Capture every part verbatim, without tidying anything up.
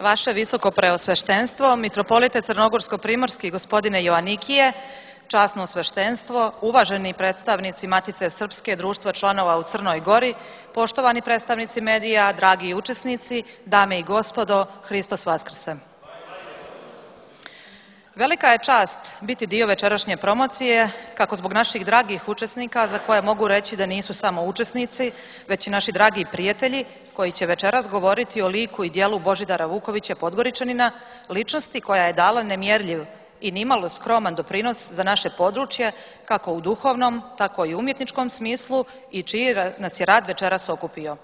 Vaše visoko preosveštenstvo, mitropolite Crnogorsko-primorski gospodine Joanikije, časno sveštenstvo, uvaženi predstavnici Matice Srpske, društva članova u Crnoj Gori, poštovani predstavnici medija, dragi učesnici, dame i gospodo, Hristos Vaskrse. Velika je čast biti dio večerašnje promocije, kako zbog naših dragih učesnika, za koje mogu reći da nisu samo učesnici, već i naši dragi prijatelji, koji će večeras govoriti o liku i dijelu Božidara Vukovića Podgoričanina, ličnosti koja je dala nemjerljiv i nimalo skroman doprinos za naše područje, kako u duhovnom, tako i umjetničkom smislu i čiji nas je rad večeras okupio.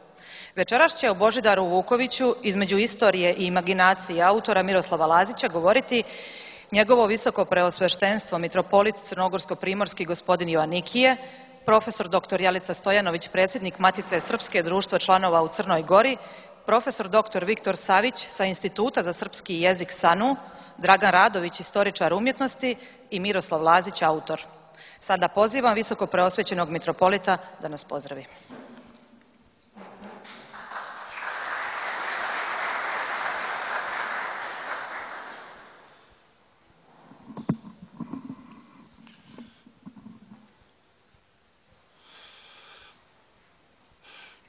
Večeras će o Božidaru Vukoviću između istorije i imaginacije autora Miroslava Lazića govoriti njegovo visoko preosveštenstvo, mitropolit Crnogorsko-primorski gospodin Joanikije, profesor doktor Jelica Stojanović, predsjednik Matice Srpske, društva članova u Crnoj Gori, profesor doktor Viktor Savić sa Instituta za srpski jezik SANU, Dragan Radović, istoričar umjetnosti i Miroslav Lazić, autor. Sada pozivam visoko preosvećenog mitropolita da nas pozdravi.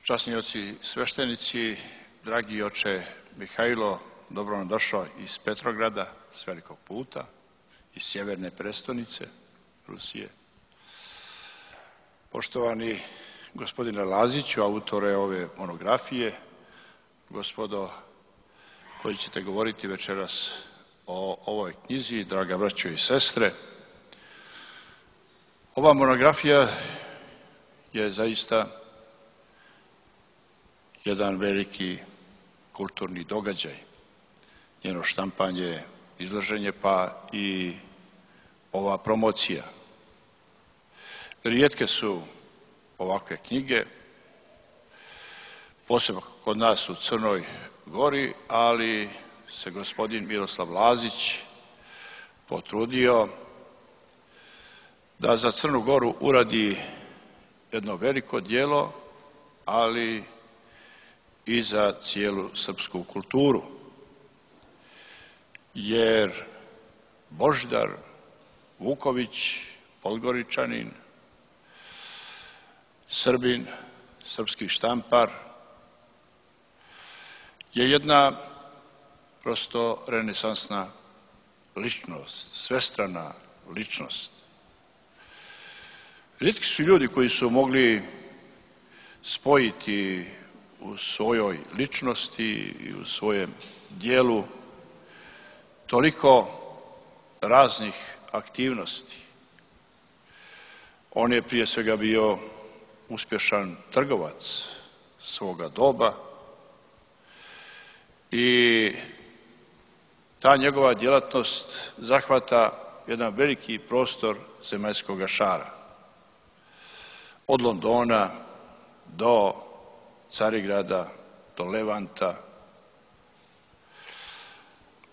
Časni oci sveštenici, dragi oče Mihajlo, dobro nam došao iz Petrograda, s velikog puta, iz sjeverne prestonice Rusije. Poštovani gospodine Laziću, autore ove monografije, gospodo koji ćete govoriti večeras o ovoj knjizi, draga braćo i sestre, ova monografija je zaista jedan veliki kulturni događaj, njeno štampanje, izlaženje, pa i ova promocija. Rijetke su ovakve knjige, posebno kod nas u Crnoj Gori, ali se gospodin Miroslav Lazić potrudio da za Crnu Goru uradi jedno veliko djelo, ali i za cijelu srpsku kulturu. Jer Božidar Vuković, Podgoričanin, Srbin, srpski štampar, je jedna prosto renesansna ličnost, svestrana ličnost. Rijetki su ljudi koji su mogli spojiti u svojoj ličnosti i u svojem dijelu toliko raznih aktivnosti. On je prije svega bio uspješan trgovac svoga doba i ta njegova djelatnost zahvata jedan veliki prostor zemaljskog šara. Od Londona do Carigrada, do Levanta,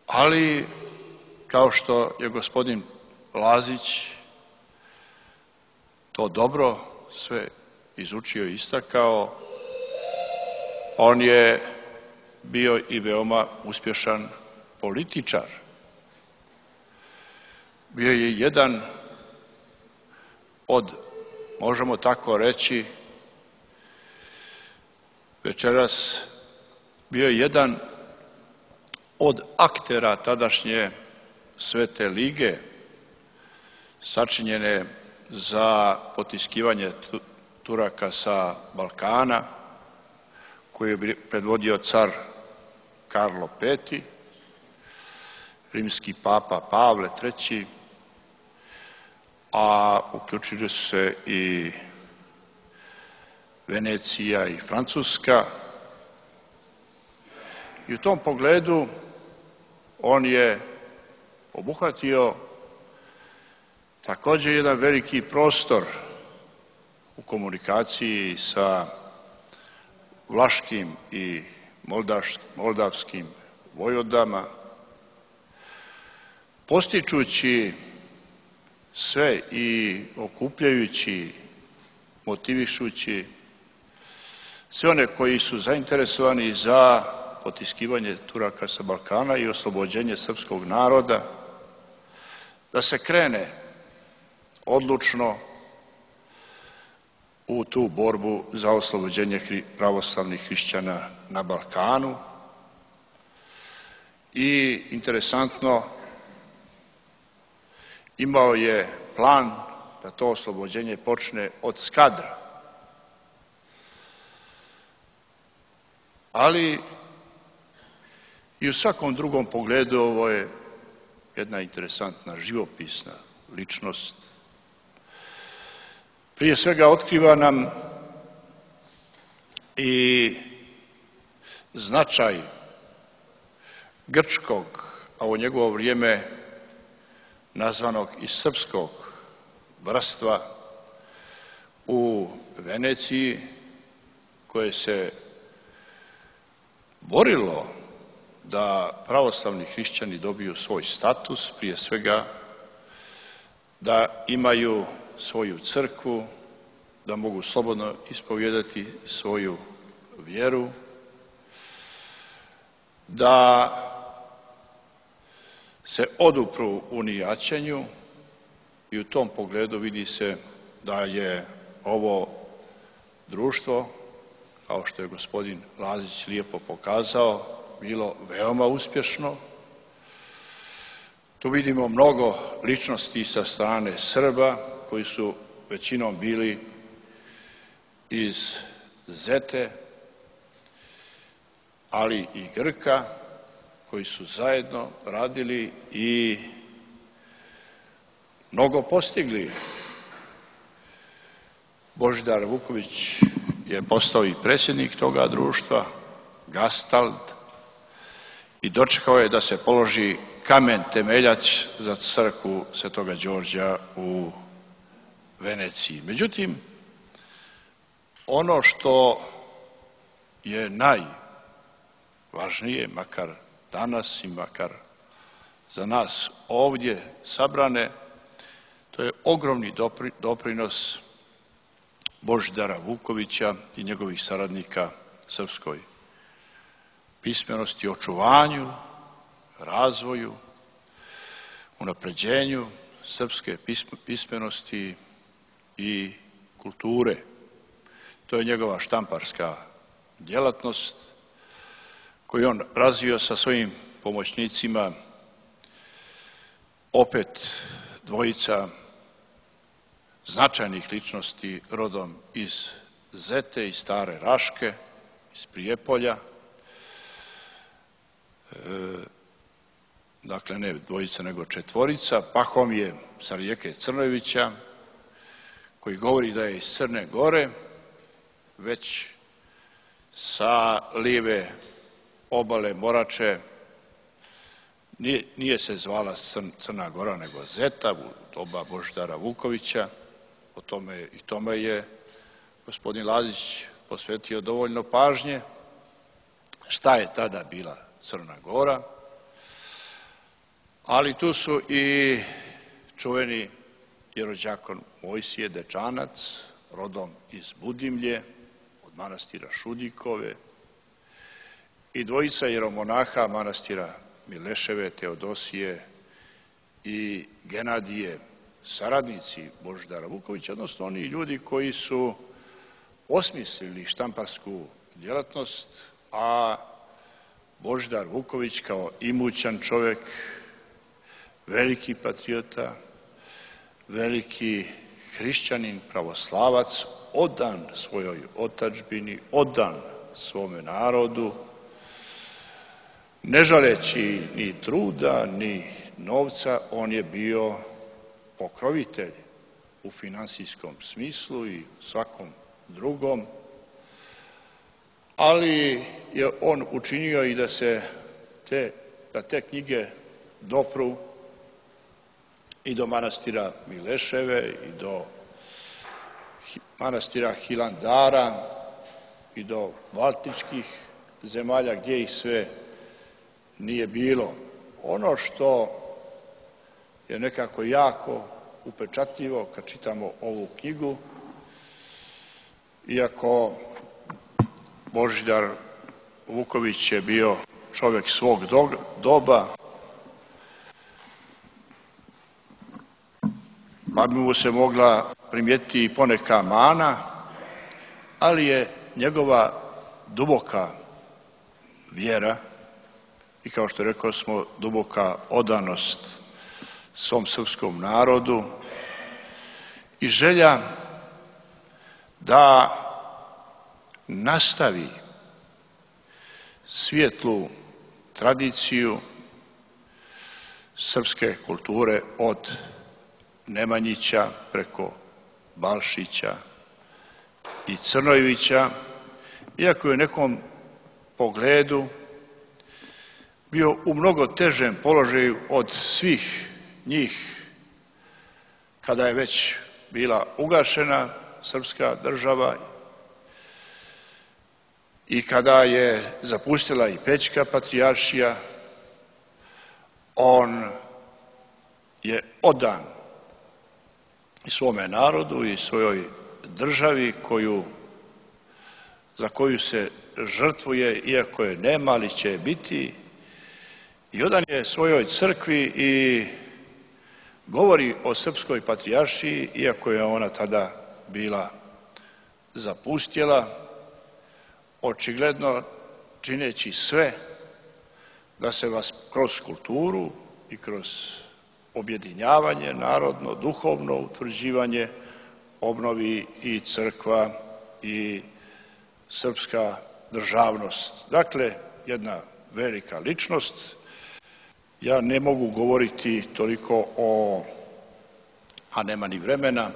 ali kao što je gospodin Lazić to dobro sve izučio i istakao, on je bio i veoma uspješan političar. Bio je jedan od, možemo tako reći, večeras bio je jedan od aktera tadašnje Svete lige, sačinjene za potiskivanje Turaka sa Balkana, koju je predvodio car Karlo Peti, rimski papa Pavle treći, a uključili su se i Venecija i Francuska. I u tom pogledu on je obuhvatio također jedan veliki prostor u komunikaciji sa vlaškim i moldavskim vojvodama, postičući sve i okupljajući, motivišući sve one koji su zainteresovani za potiskivanje Turaka sa Balkana i oslobođenje srpskog naroda, da se krene odlučno u tu borbu za oslobođenje pravoslavnih hrišćana na Balkanu. I interesantno, imao je plan da to oslobođenje počne od Skadra. Ali i u svakom drugom pogledu ovo je jedna interesantna živopisna ličnost. Prije svega otkriva nam i značaj grčkog, a u njegovo vrijeme nazvanog i srpskog bratstva u Veneciji, koje se borilo da pravoslavni hrišćani dobiju svoj status, prije svega da imaju svoju crkvu, da mogu slobodno ispovijedati svoju vjeru, da se odupru unijaćenju, i u tom pogledu vidi se da je ovo društvo, kao što je gospodin Lazić lijepo pokazao, bilo veoma uspješno. Tu vidimo mnogo ličnosti sa strane Srba, koji su većinom bili iz Zete, ali i Grka, koji su zajedno radili i mnogo postigli. Božidar Vuković je postao i predsjednik toga društva, Gastald, i dočekao je da se položi kamen temeljac za crkvu Svetoga Đorđa u Veneciji. Međutim, ono što je najvažnije, makar danas i makar za nas ovdje sabrane, to je ogromni doprinos Božidara Vukovića i njegovih saradnika srpskoj pismenosti, očuvanju, razvoju, unapređenju srpske pismenosti i kulture. To je njegova štamparska djelatnost koju on razvio sa svojim pomoćnicima, opet dvojica značajnih ličnosti rodom iz Zete, iz Stare Raške, iz Prijepolja. Dakle, ne dvojica, nego četvorica. Pahomije sa rijeke Crnojevića, koji govori da je iz Crne Gore, već sa lijeve obale Morače. Nije, nije se zvala Crna Gora, nego Zeta, u doba Božidara Vukovića. O tome i tome je gospodin Lazić posvetio dovoljno pažnje. Šta je tada bila Crna Gora? Ali tu su i čuveni jerođakon Mojsije Dečanac, rodom iz Budimlje, od manastira Šudikove, i dvojica jeromonaha manastira Mileševe, Teodosije i Genadije, saradnici Božidara Vukovića, odnosno oni ljudi koji su osmislili štamparsku djelatnost, a Božidar Vuković kao imućan čovjek, veliki patriota, veliki hrišćanin, pravoslavac, odan svojoj otadžbini, odan svome narodu, ne žaleći ni truda, ni novca, on je bio pokrovitelj u finansijskom smislu i svakom drugom, ali je on učinio i da se te, da te knjige dopru i do manastira Mileševe, i do manastira Hilandara, i do baltičkih zemalja, gdje ih sve nije bilo. Ono što je nekako jako upečatljivo kad čitamo ovu knjigu, iako Božidar Vuković je bio čovjek svog doba, pa bi mu se mogla primijetiti i poneka mana, ali je njegova duboka vjera i, kao što rekao smo, duboka odanost svom srpskom narodu i želja da nastavi svijetlu tradiciju srpske kulture od Nemanjića preko Balšića i Crnojevića, iako je u nekom pogledu bio u mnogo težem položaju od svih njih kada je već bila ugašena srpska država i kada je zapustila i Pećka patrijaršija. On je odan i svome narodu i svojoj državi koju, za koju se žrtvuje, iako je nema, ali će je biti, i odan je svojoj crkvi i govori o srpskoj patrijaršiji, iako je ona tada bila zapustjela, očigledno čineći sve da se vas kroz kulturu i kroz objedinjavanje narodno, duhovno utvrđivanje obnovi i crkva i srpska državnost. Dakle, jedna velika ličnost. Ja ne mogu govoriti toliko o, a nema ni vremena,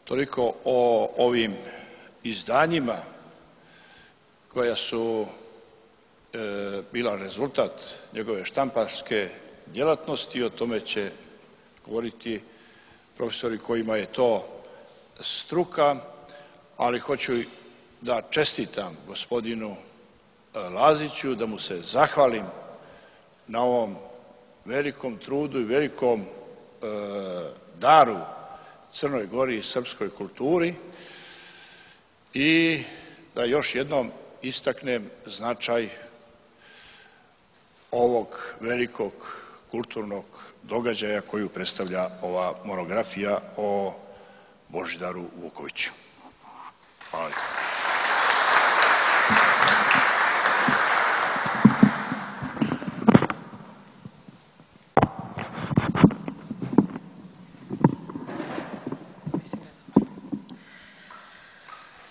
toliko o ovim izdanjima koja su e, bila rezultat njegove štamparske djelatnosti. O tome će govoriti profesori kojima je to struka, ali hoću da čestitam gospodinu Laziću, da mu se zahvalim na ovom velikom trudu i velikom e, daru Crnoj Gori i srpskoj kulturi i da još jednom istaknem značaj ovog velikog kulturnog događaja koju predstavlja ova monografija o Božidaru Vukoviću. Hvala.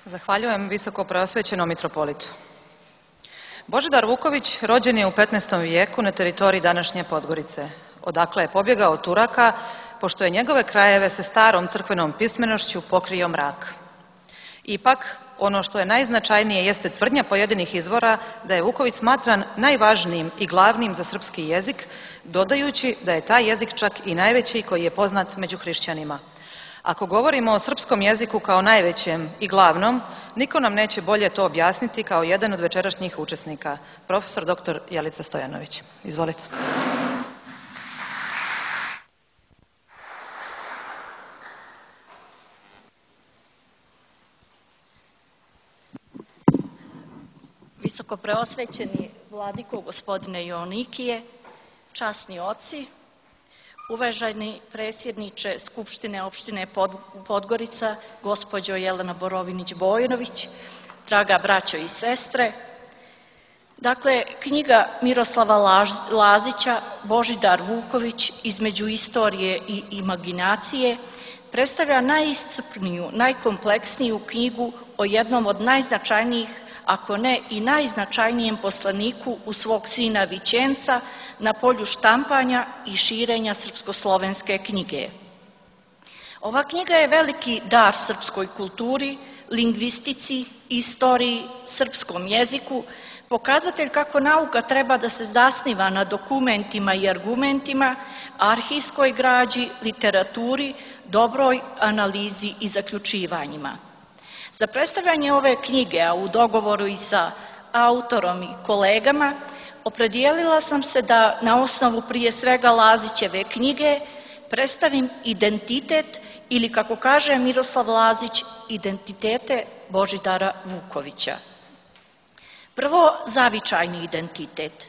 Zahvaljujem visoko preosvećenom mitropolitu. Božidar Vuković rođen je u petnaestom vijeku na teritoriji današnje Podgorice, odakle je pobjegao od Turaka, pošto je njegove krajeve sa starom crkvenom pismenošću pokrio mrak. Ipak, ono što je najznačajnije jeste tvrdnja pojedinih izvora da je Vuković smatran najvažnijim i glavnim za srpski jezik, dodajući da je taj jezik čak i najveći koji je poznat među hrišćanima. Ako govorimo o srpskom jeziku kao najvećem i glavnom, niko nam neće bolje to objasniti kao jedan od večerašnjih učesnika, profesor doktor Jelica Stojanović. Izvolite. Visoko preosvećeni vladiko gospodine Joanikije, časni oci, uvaženi predsjedniče Skupštine opštine Podgorica, gospođo Jelena Borovinić-Bojanović, draga braćo i sestre. Dakle, knjiga Miroslava Lazića, Božidar Vuković, između istorije i imaginacije, predstavlja najiscrpniju, najkompleksniju knjigu o jednom od najznačajnijih, ako ne i najznačajnijem poslaniku u svog sina Vićenca na polju štampanja i širenja srpsko-slovenske knjige. Ova knjiga je veliki dar srpskoj kulturi, lingvistici, istoriji, srpskom jeziku, pokazatelj kako nauka treba da se zasniva na dokumentima i argumentima, arhivskoj građi, literaturi, dobroj analizi i zaključivanjima. Za predstavljanje ove knjige, a u dogovoru i sa autorom i kolegama, opredijelila sam se da na osnovu prije svega Lazićeve knjige predstavim identitet ili, kako kaže Miroslav Lazić, identitete Božidara Vukovića. Prvo, zavičajni identitet.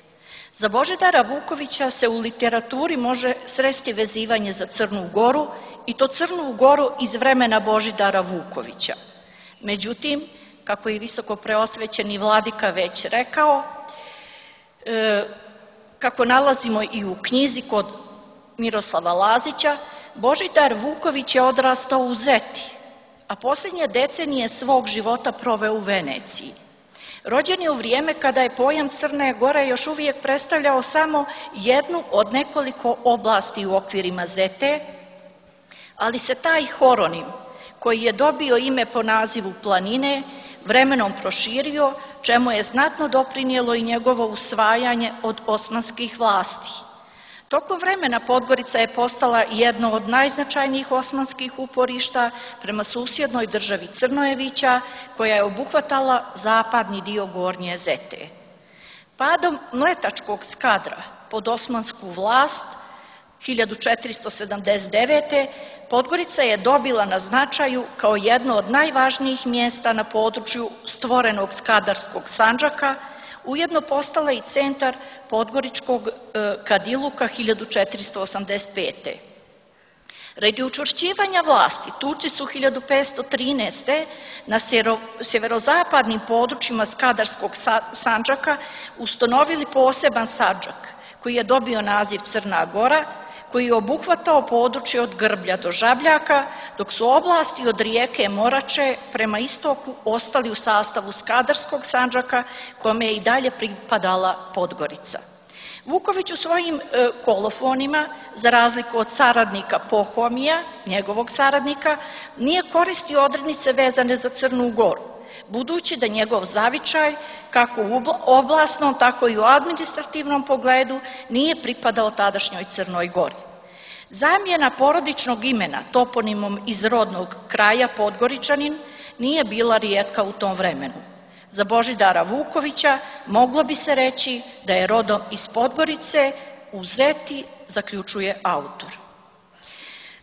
Za Božidara Vukovića se u literaturi može sresti vezivanje za Crnu Goru i to Crnu Goru iz vremena Božidara Vukovića. Međutim, kako je visoko preosvećeni vladika već rekao, e, kako nalazimo i u knjizi kod Miroslava Lazića, Božidar Vuković je odrastao u Zeti, a posljednje decenije svog života proveo u Veneciji. Rođen je u vrijeme kada je pojam Crne Gore još uvijek predstavljao samo jednu od nekoliko oblasti u okvirima Zete, ali se taj horonim, koji je dobio ime po nazivu planine, vremenom proširio, čemu je znatno doprinijelo i njegovo usvajanje od osmanskih vlasti. Tokom vremena Podgorica je postala jedno od najznačajnijih osmanskih uporišta prema susjednoj državi Crnojevića, koja je obuhvatala zapadni dio Gornje Zete. Padom Mletačkog skadra pod osmansku vlast hiljadu četiristo sedamdeset devete. Podgorica je dobila na značaju kao jedno od najvažnijih mjesta na području stvorenog Skadarskog Sandžaka, ujedno postala i centar podgoričkog kadiluka hiljadu četiristo osamdeset pete. Radi učvršćivanja vlasti, Turci su hiljadu petsto trinaeste. na sjeverozapadnim područjima Skadarskog Sandžaka ustanovili poseban Sandžak, koji je dobio naziv Crna Gora, koji je obuhvatao područje od Grblja do Žabljaka, dok su oblasti od rijeke Morače prema istoku ostali u sastavu Skadarskog Sandžaka, kome je i dalje pripadala Podgorica. Vuković u svojim e, kolofonima, za razliku od saradnika Pohomija, njegovog saradnika, nije koristio odrednice vezane za Crnu Goru, budući da njegov zavičaj, kako u oblasnom, tako i u administrativnom pogledu, nije pripadao tadašnjoj Crnoj Gori. Zamjena porodičnog imena toponimom iz rodnog kraja Podgoričanin nije bila rijetka u tom vremenu. Za Božidara Vukovića moglo bi se reći da je rodom iz Podgorice, u Zeti, zaključuje autor.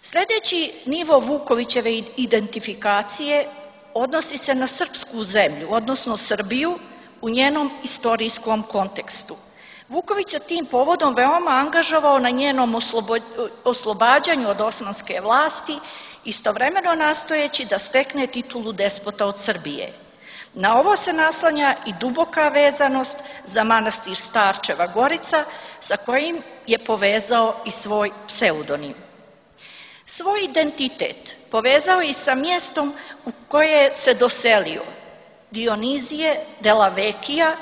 Sljedeći nivo Vukovićeve identifikacije odnosi se na srpsku zemlju, odnosno Srbiju, u njenom istorijskom kontekstu. Vuković se tim povodom veoma angažovao na njenom oslobađanju od osmanske vlasti, istovremeno nastojeći da stekne titulu despota od Srbije. Na ovo se naslanja i duboka vezanost za manastir Starčeva Gorica, sa kojim je povezao i svoj pseudonim. Svoj identitet povezao i sa mjestom u koje se doselio, Dionizije della Vecchia,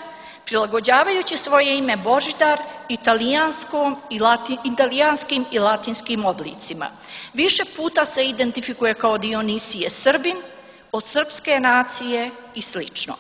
prilagođavajući svoje ime Božidar italijanskom i latin, italijanskim i latinskim oblicima. Više puta se identifikuje kao Dionisije Srbin, od srpske nacije i slično.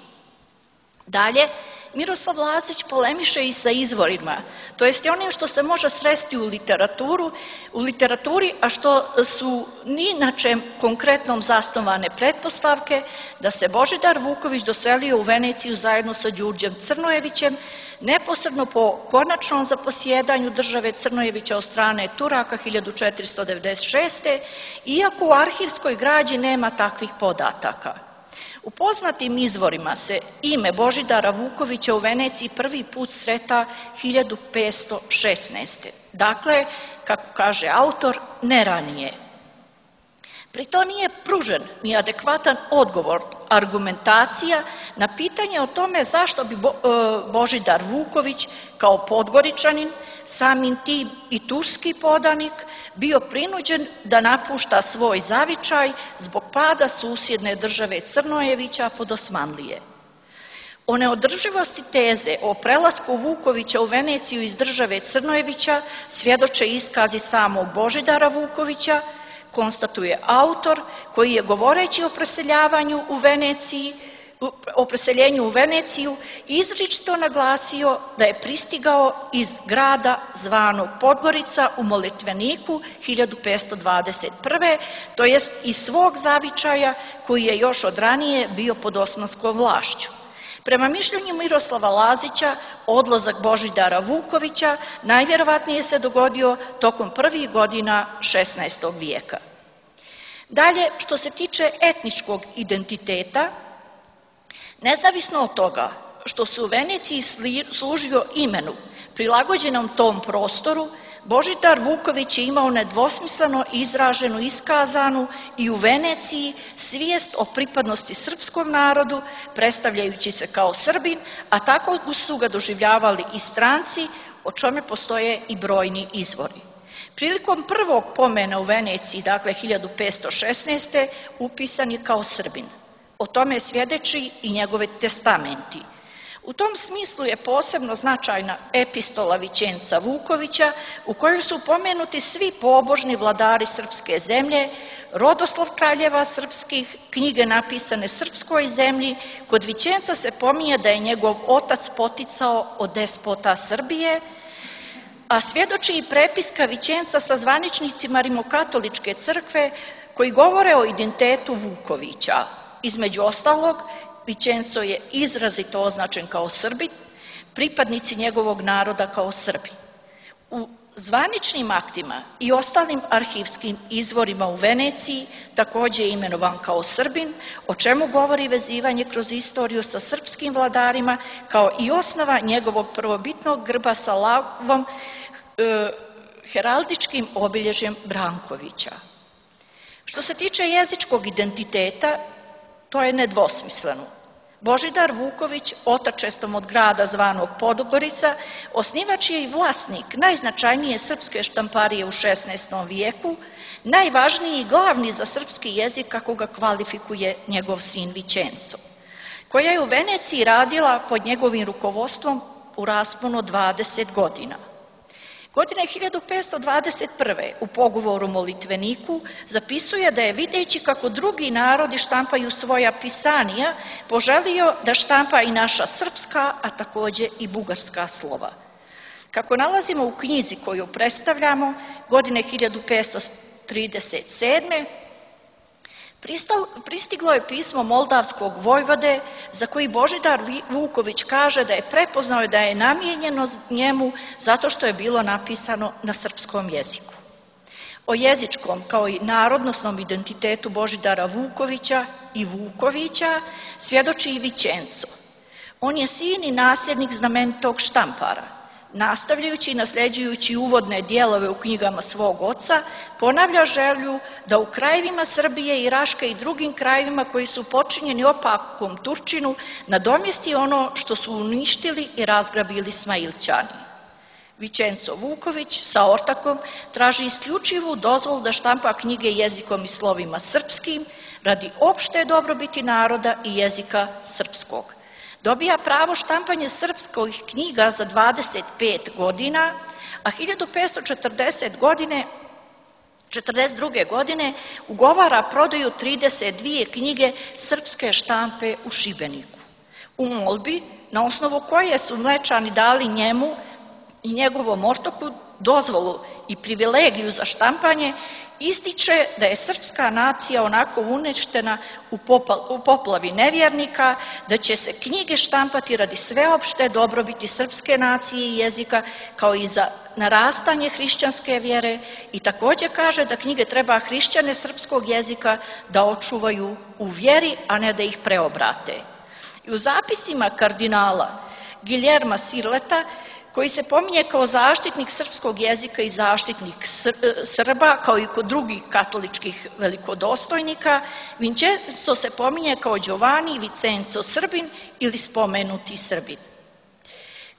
Dalje, Miroslav Lazić polemiše i sa izvorima, to jest onim što se može sresti u literaturu, u literaturi, a što su ni na čem konkretnom zasnovane pretpostavke da se Božidar Vuković doselio u Veneciju zajedno sa Đurđem Crnojevićem, neposredno po konačnom zaposjedanju države Crnojevića od strane Turaka hiljadu četiristo devedeset šeste. iako u arhivskoj građi nema takvih podataka. U poznatim izvorima se ime Božidara Vukovića u Veneciji prvi put sreta hiljadu petsto šesnaeste. Dakle, kako kaže autor, ne ranije. Pri to nije pružen ni adekvatan odgovor, argumentacija na pitanje o tome zašto bi Božidar Vuković kao Podgoričanin, samim tim i turski podanik, bio prinuđen da napušta svoj zavičaj zbog pada susjedne države Crnojevića pod Osmanlije. O neodrživosti teze o prelasku Vukovića u Veneciju iz države Crnojevića svjedoče iskazi samog Božidara Vukovića, konstatuje autor, koji je govoreći o preseljavanju u Veneciji, o preseljenju u Veneciju izričito naglasio da je pristigao iz grada zvanog Podgorica u Molitveniku hiljadu petsto dvadeset prve. to jest iz svog zavičaja koji je još od ranije bio pod osmanskom vlašću. Prema mišljenju Miroslava Lazića, odlazak Božidara Vukovića najvjerovatnije se dogodio tokom prvih godina šesnaestog vijeka. Dalje, što se tiče etničkog identiteta, nezavisno od toga što se u Veneciji služio imenu prilagođenom tom prostoru, Božidar Vuković je imao nedvosmisleno izraženu, iskazanu i u Veneciji svijest o pripadnosti srpskom narodu, predstavljajući se kao Srbin, a tako su ga doživljavali i stranci, o čemu postoje i brojni izvori. Prilikom prvog pomena u Veneciji, dakle hiljadu petsto šesnaeste. upisan je kao Srbin. O tome svjedoči i njegove testamenti. U tom smislu je posebno značajna epistola Vićenca Vukovića u kojoj su pomenuti svi pobožni vladari srpske zemlje, rodoslov kraljeva srpskih, knjige napisane srpskoj zemlji. Kod Vićenca se pominje da je njegov otac poticao od despota Srbije, a svjedoči i prepiska Vićenca sa zvaničnicima Rimokatoličke crkve koji govore o identitetu Vukovića. Između ostalog, Vićenco je izrazito označen kao Srbin, pripadnici njegovog naroda kao Srbi. U zvaničnim aktima i ostalim arhivskim izvorima u Veneciji također je imenovan kao Srbin, o čemu govori vezivanje kroz istoriju sa srpskim vladarima, kao i osnova njegovog prvobitnog grba sa lavom, e, heraldičkim obilježjem Brankovića. Što se tiče jezičkog identiteta, to je nedvosmisleno. Božidar Vuković, otačestom od grada zvanog Podgorica, osnivač je i vlasnik najznačajnije srpske štamparije u šesnaestom vijeku, najvažniji i glavni za srpski jezik kako ga kvalifikuje njegov sin Vićenco, koja je u Veneciji radila pod njegovim rukovodstvom u rasponu od dvadeset godina. Godine hiljadu petsto dvadeset prve. u pogovoru Molitveniku zapisuje da je videći kako drugi narodi štampaju svoja pisanija, poželio da štampa i naša srpska, a također i bugarska slova. Kako nalazimo u knjizi koju predstavljamo, godine hiljadu petsto trideset sedme. pristiglo je pismo moldavskog vojvode za koji Božidar Vuković kaže da je prepoznao da je namijenjeno njemu zato što je bilo napisano na srpskom jeziku. O jezičkom kao i narodnosnom identitetu Božidara Vukovića i Vukovića svjedoči i Vićenco. On je sin i nasljednik znamenitog štampara. Nastavljajući i nasljeđujući uvodne dijelove u knjigama svog oca, ponavlja želju da u krajevima Srbije i Raške i drugim krajevima koji su počinjeni opakom Turčinu nadomjesti ono što su uništili i razgrabili Smailčani. Vićenco Vuković sa ortakom traži isključivu dozvolu da štampa knjige jezikom i slovima srpskim radi opšte dobrobiti naroda i jezika srpskog. Dobija pravo štampanje srpskih knjiga za dvadeset pet godina, a hiljadu petsto četrdeset godine, četrdeset druge. godine ugovara prodaju trideset dvije knjige srpske štampe u Šibeniku. U molbi, na osnovu koje su Mlečani dali njemu i njegovom ortoku dozvolu i privilegiju za štampanje, ističe da je srpska nacija onako uništena u poplavi nevjernika, da će se knjige štampati radi sveopšte dobrobiti srpske nacije i jezika, kao i za narastanje hrišćanske vjere, i također kaže da knjige treba hrišćane srpskog jezika da očuvaju u vjeri, a ne da ih preobrate. I u zapisima kardinala Giljerma Sirleta, koji se pominje kao zaštitnik srpskog jezika i zaštitnik Srba, kao i kod drugih katoličkih velikodostojnika, Vićenco se pominje kao Giovanni Vicenzo Srbin ili spomenuti Srbin.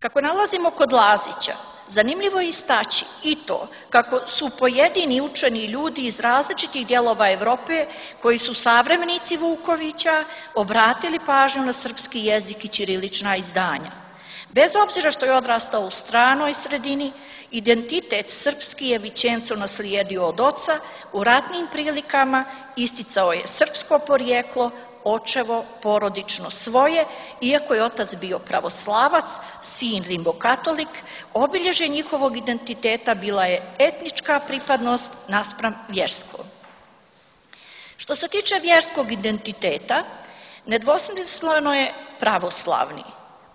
Kako nalazimo kod Lazića, zanimljivo je istaći i to kako su pojedini učeni ljudi iz različitih dijelova Evrope, koji su savremenici Vukovića, obratili pažnju na srpski jezik i ćirilična izdanja. Bez obzira što je odrastao u stranoj sredini, identitet srpski je Vićenco naslijedio od oca, u ratnim prilikama isticao je srpsko porijeklo, očevo porodično svoje, iako je otac bio pravoslavac, sin rimokatolik, obilježje njihovog identiteta bila je etnička pripadnost naspram vjerskom. Što se tiče vjerskog identiteta, nedvosmisleno je pravoslavni.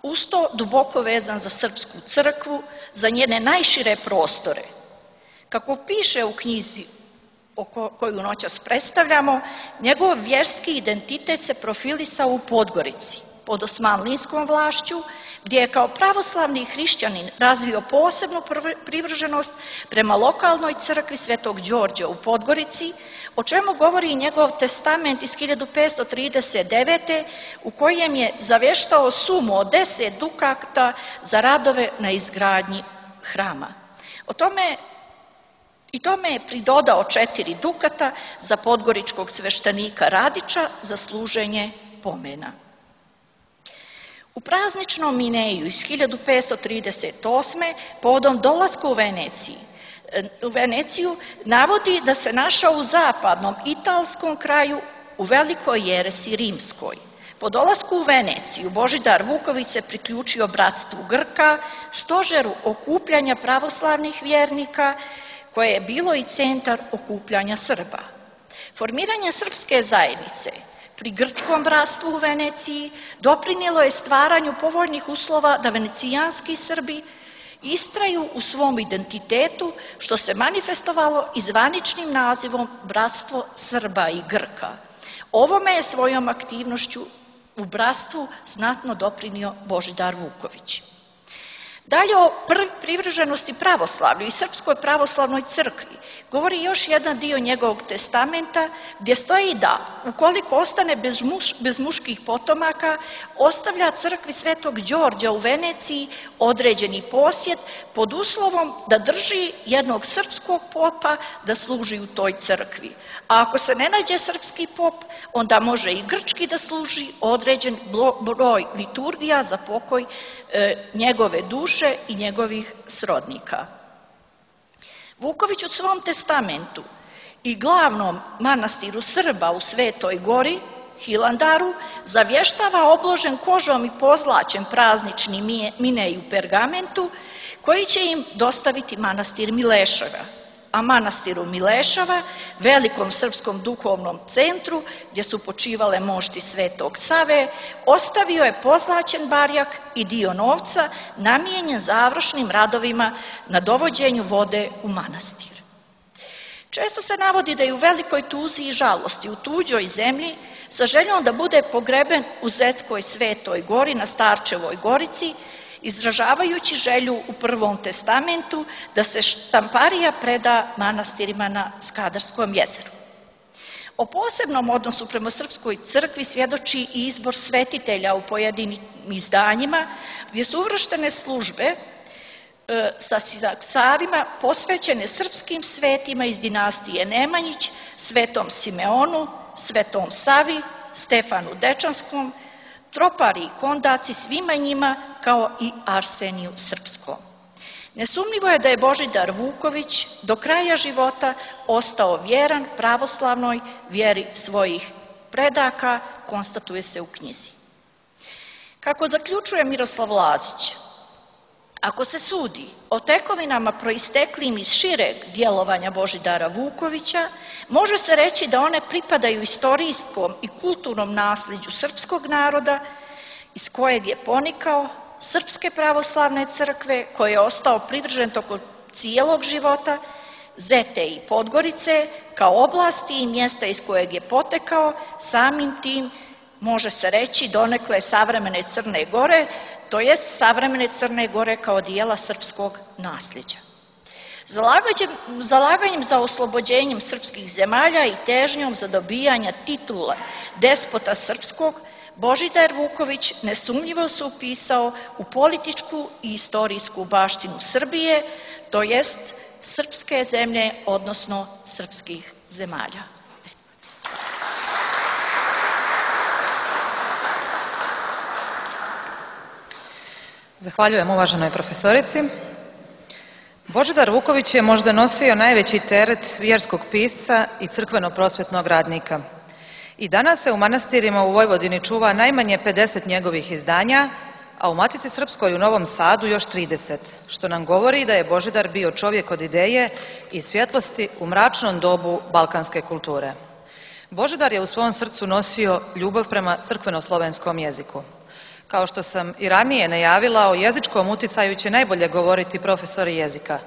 Uz to duboko vezan za srpsku crkvu, za njene najšire prostore. Kako piše u knjizi koju noćas predstavljamo, njegov vjerski identitet se profilisao u Podgorici, pod osmanlijskom vlašću, gdje je kao pravoslavni hrišćanin razvio posebnu privrženost prema lokalnoj crkvi Svetog Đorđa u Podgorici, o čemu govori i njegov testament iz hiljadu petsto trideset devete. u kojem je zaveštao sumu od deset dukata za radove na izgradnji hrama. O tome I tome je pridodao četiri dukata za podgoričkog sveštenika Radića za služenje pomena. U prazničnom Mineju iz hiljadu petsto trideset osme. povodom dolaska u Veneciji, u Veneciju navodi da se našao u zapadnom italskom kraju u velikoj jeresi rimskoj. Po dolasku u Veneciju Božidar Vuković se priključio bratstvu Grka, stožeru okupljanja pravoslavnih vjernika, koje je bilo i centar okupljanja Srba. Formiranje srpske zajednice pri grčkom bratstvu u Veneciji doprinijelo je stvaranju povoljnih uslova da venecijanski Srbi istraju u svom identitetu, što se manifestovalo i zvaničnim nazivom Bratstvo Srba i Grka. Ovome je svojom aktivnošću u bratstvu znatno doprinio Božidar Vuković. Dalje o privrženosti pravoslavlju i Srpskoj pravoslavnoj crkvi govori još jedan dio njegovog testamenta, gdje stoji da, ukoliko ostane bez, muš, bez muških potomaka, ostavlja crkvi Svetog Đorđa u Veneciji određeni posjed pod uslovom da drži jednog srpskog popa da služi u toj crkvi. A ako se ne nađe srpski pop, onda može i grčki da služi određen broj liturgija za pokoj e, njegove duše i njegovih srodnika. Vuković u svom testamentu i glavnom manastiru Srba u Svetoj Gori, Hilandaru, zavještava obložen kožom i pozlaćen praznični minej u pergamentu koji će im dostaviti manastir Mileševa. A manastiru Milešava, velikom srpskom duhovnom centru gdje su počivale mošti Svetog Save, ostavio je pozlaćen barjak i dio novca namijenjen završnim radovima na dovođenju vode u manastir. Često se navodi da je u velikoj tuzi i žalosti u tuđoj zemlji sa željom da bude pogreben u Zetskoj Svetoj Gori na Starčevoj Gorici, izražavajući želju u Prvom testamentu da se štamparija preda manastirima na Skadarskom jezeru. O posebnom odnosu prema Srpskoj crkvi svjedoči i izbor svetitelja u pojedinim izdanjima, gdje su uvrštene službe e, sa carima posvećene srpskim svetima iz dinastije Nemanjić, Svetom Simeonu, Svetom Savi, Stefanu Dečanskom, Tropari i Kondaci, svima njima, kao i Arseniju Srpskom. Nesumnjivo je da je Božidar Vuković do kraja života ostao vjeran pravoslavnoj vjeri svojih predaka, konstatuje se u knjizi. Kako zaključuje Miroslav Lazić, ako se sudi o tekovinama proisteklim iz šireg djelovanja Božidara Vukovića, može se reći da one pripadaju istorijskom i kulturnom nasljeđu srpskog naroda iz kojeg je ponikao, Srpske pravoslavne crkve koje je ostao privržen tokom cijelog života, Zete i Podgorice kao oblasti i mjesta iz kojeg je potekao, samim tim može se reći donekle savremene Crne Gore, to jest savremene Crne Gore kao dijela srpskog nasljeđa. Zalaganjem za oslobođenjem srpskih zemalja i težnjom za dobijanja titula despota srpskog, Božidar Vuković nesumnjivo se upisao u političku i istorijsku baštinu Srbije, to jest srpske zemlje, odnosno srpskih zemalja. Zahvaljujem uvaženoj profesorici. Božidar Vuković je možda nosio najveći teret vjerskog pisca i crkveno-prosvjetnog radnika. I danas se u manastirima u Vojvodini čuva najmanje pedeset njegovih izdanja, a u Matici Srpskoj u Novom Sadu još trideset, što nam govori da je Božidar bio čovjek od ideje i svjetlosti u mračnom dobu balkanske kulture. Božidar je u svom srcu nosio ljubav prema crkveno-slovenskom jeziku. Kao što sam i ranije najavila, o jezičkom uticaju će najbolje govoriti profesori jezika.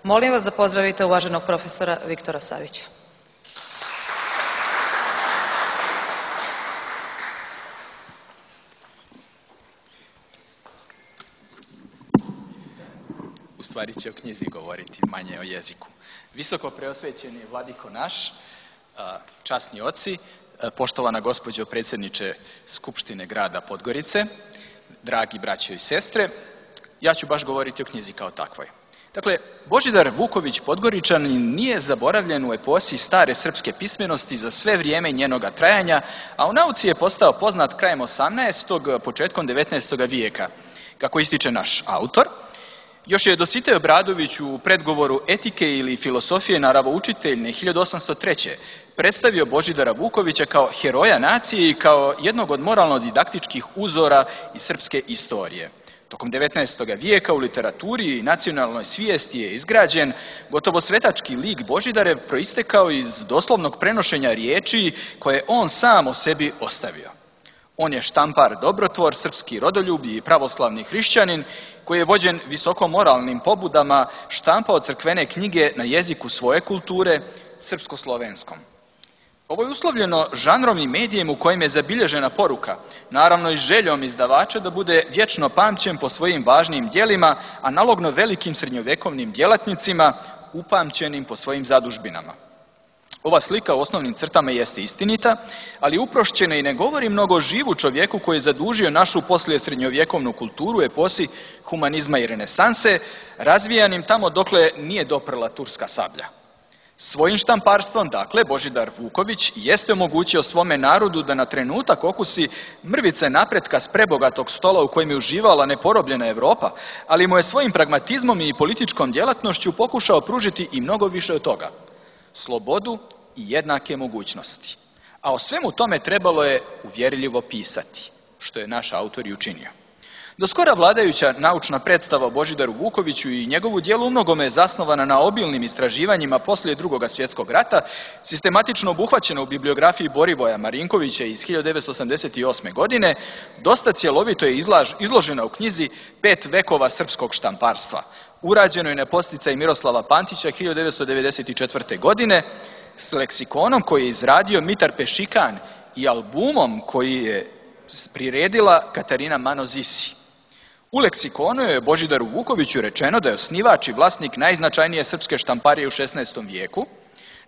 Molim vas da pozdravite uvaženog profesora Viktora Savića. stvari će o knjizi govoriti, manje o jeziku. Visoko preosvećeni vladiko naš, časni oci, poštovana gospođo predsjedniče Skupštine grada Podgorice, dragi braćo i sestre, ja ću baš govoriti o knjizi kao takvoj. Dakle, Božidar Vuković Podgoričanin nije zaboravljen u eposi stare srpske pismenosti za sve vrijeme njenoga trajanja, a u nauci je postao poznat krajem osamnaestog. početkom devetnaestog vijeka. Kako ističe naš autor, još je Dositej Obradović u predgovoru Etike ili filosofije naravoučiteljne hiljadu osamsto treće. predstavio Božidara Vukovića kao heroja nacije i kao jednog od moralno-didaktičkih uzora iz srpske istorije. Tokom devetnaestog vijeka u literaturi i nacionalnoj svijesti je izgrađen gotovo svetački lik Božidarev proistekao iz doslovnog prenošenja riječi koje on sam o sebi ostavio. On je štampar dobrotvor, srpski rodoljub i pravoslavni hrišćanin koji je vođen visoko moralnim pobudama štampao crkvene knjige na jeziku svoje kulture, srpsko-slovenskom. Ovo je uslovljeno žanrom i medijem u kojem je zabilježena poruka, naravno i željom izdavača da bude vječno pamćen po svojim važnim djelima, analogno velikim srednjovekovnim djelatnicima, upamćenim po svojim zadužbinama. Ova slika u osnovnim crtama jeste istinita, ali uprošćena i ne govori mnogo o živu čovjeku koji je zadužio našu poslije srednjovjekovnu kulturu u eposi humanizma i renesanse, razvijanim tamo dokle nije doprla turska sablja. Svojim štamparstvom, dakle, Božidar Vuković jeste omogućio svome narodu da na trenutak okusi mrvice napretka s prebogatog stola u kojem je uživala neporobljena Europa, ali mu je svojim pragmatizmom i političkom djelatnošću pokušao pružiti i mnogo više od toga. Slobodu i jednake mogućnosti. A o svemu tome trebalo je uvjerljivo pisati, što je naš autor i učinio. Do skora vladajuća naučna predstava o Božidaru Vukoviću i njegovu djelu umnogome je zasnovana na obilnim istraživanjima poslije Drugog svjetskog rata, sistematično obuhvaćena u bibliografiji Borivoja Marinkovića iz hiljadu devetsto osamdeset osme. godine, dosta cjelovito je izlaž, izložena u knjizi Pet vekova srpskog štamparstva, urađenoj na podsticaj Miroslava Pantića hiljadu devetsto devedeset četvrte. godine, s leksikonom koji je izradio Mitar Pešikan i albumom koji je priredila Katarina Manozisi. U leksikonu je Božidaru Vukoviću rečeno da je osnivač i vlasnik najznačajnije srpske štamparije u šesnaestom vijeku,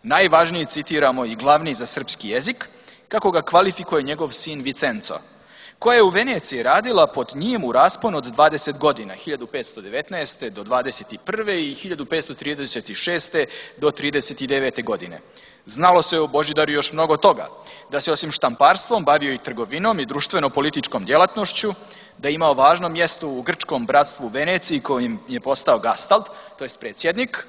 najvažniji, citiramo, i glavni za srpski jezik, kako ga kvalifikuje njegov sin Vicenco, koja je u Veneciji radila pod njim u rasponu od dvadeset godina, hiljadu petsto devetnaeste. do dvadeset prve i hiljadu petsto trideset šeste. do trideset devete. godine. Znalo se o Božidaru još mnogo toga, da se osim štamparstvom bavio i trgovinom i društveno-političkom djelatnošću, da je imao važno mjesto u grčkom bratstvu Veneciji kojim je postao gastald, to jest predsjednik,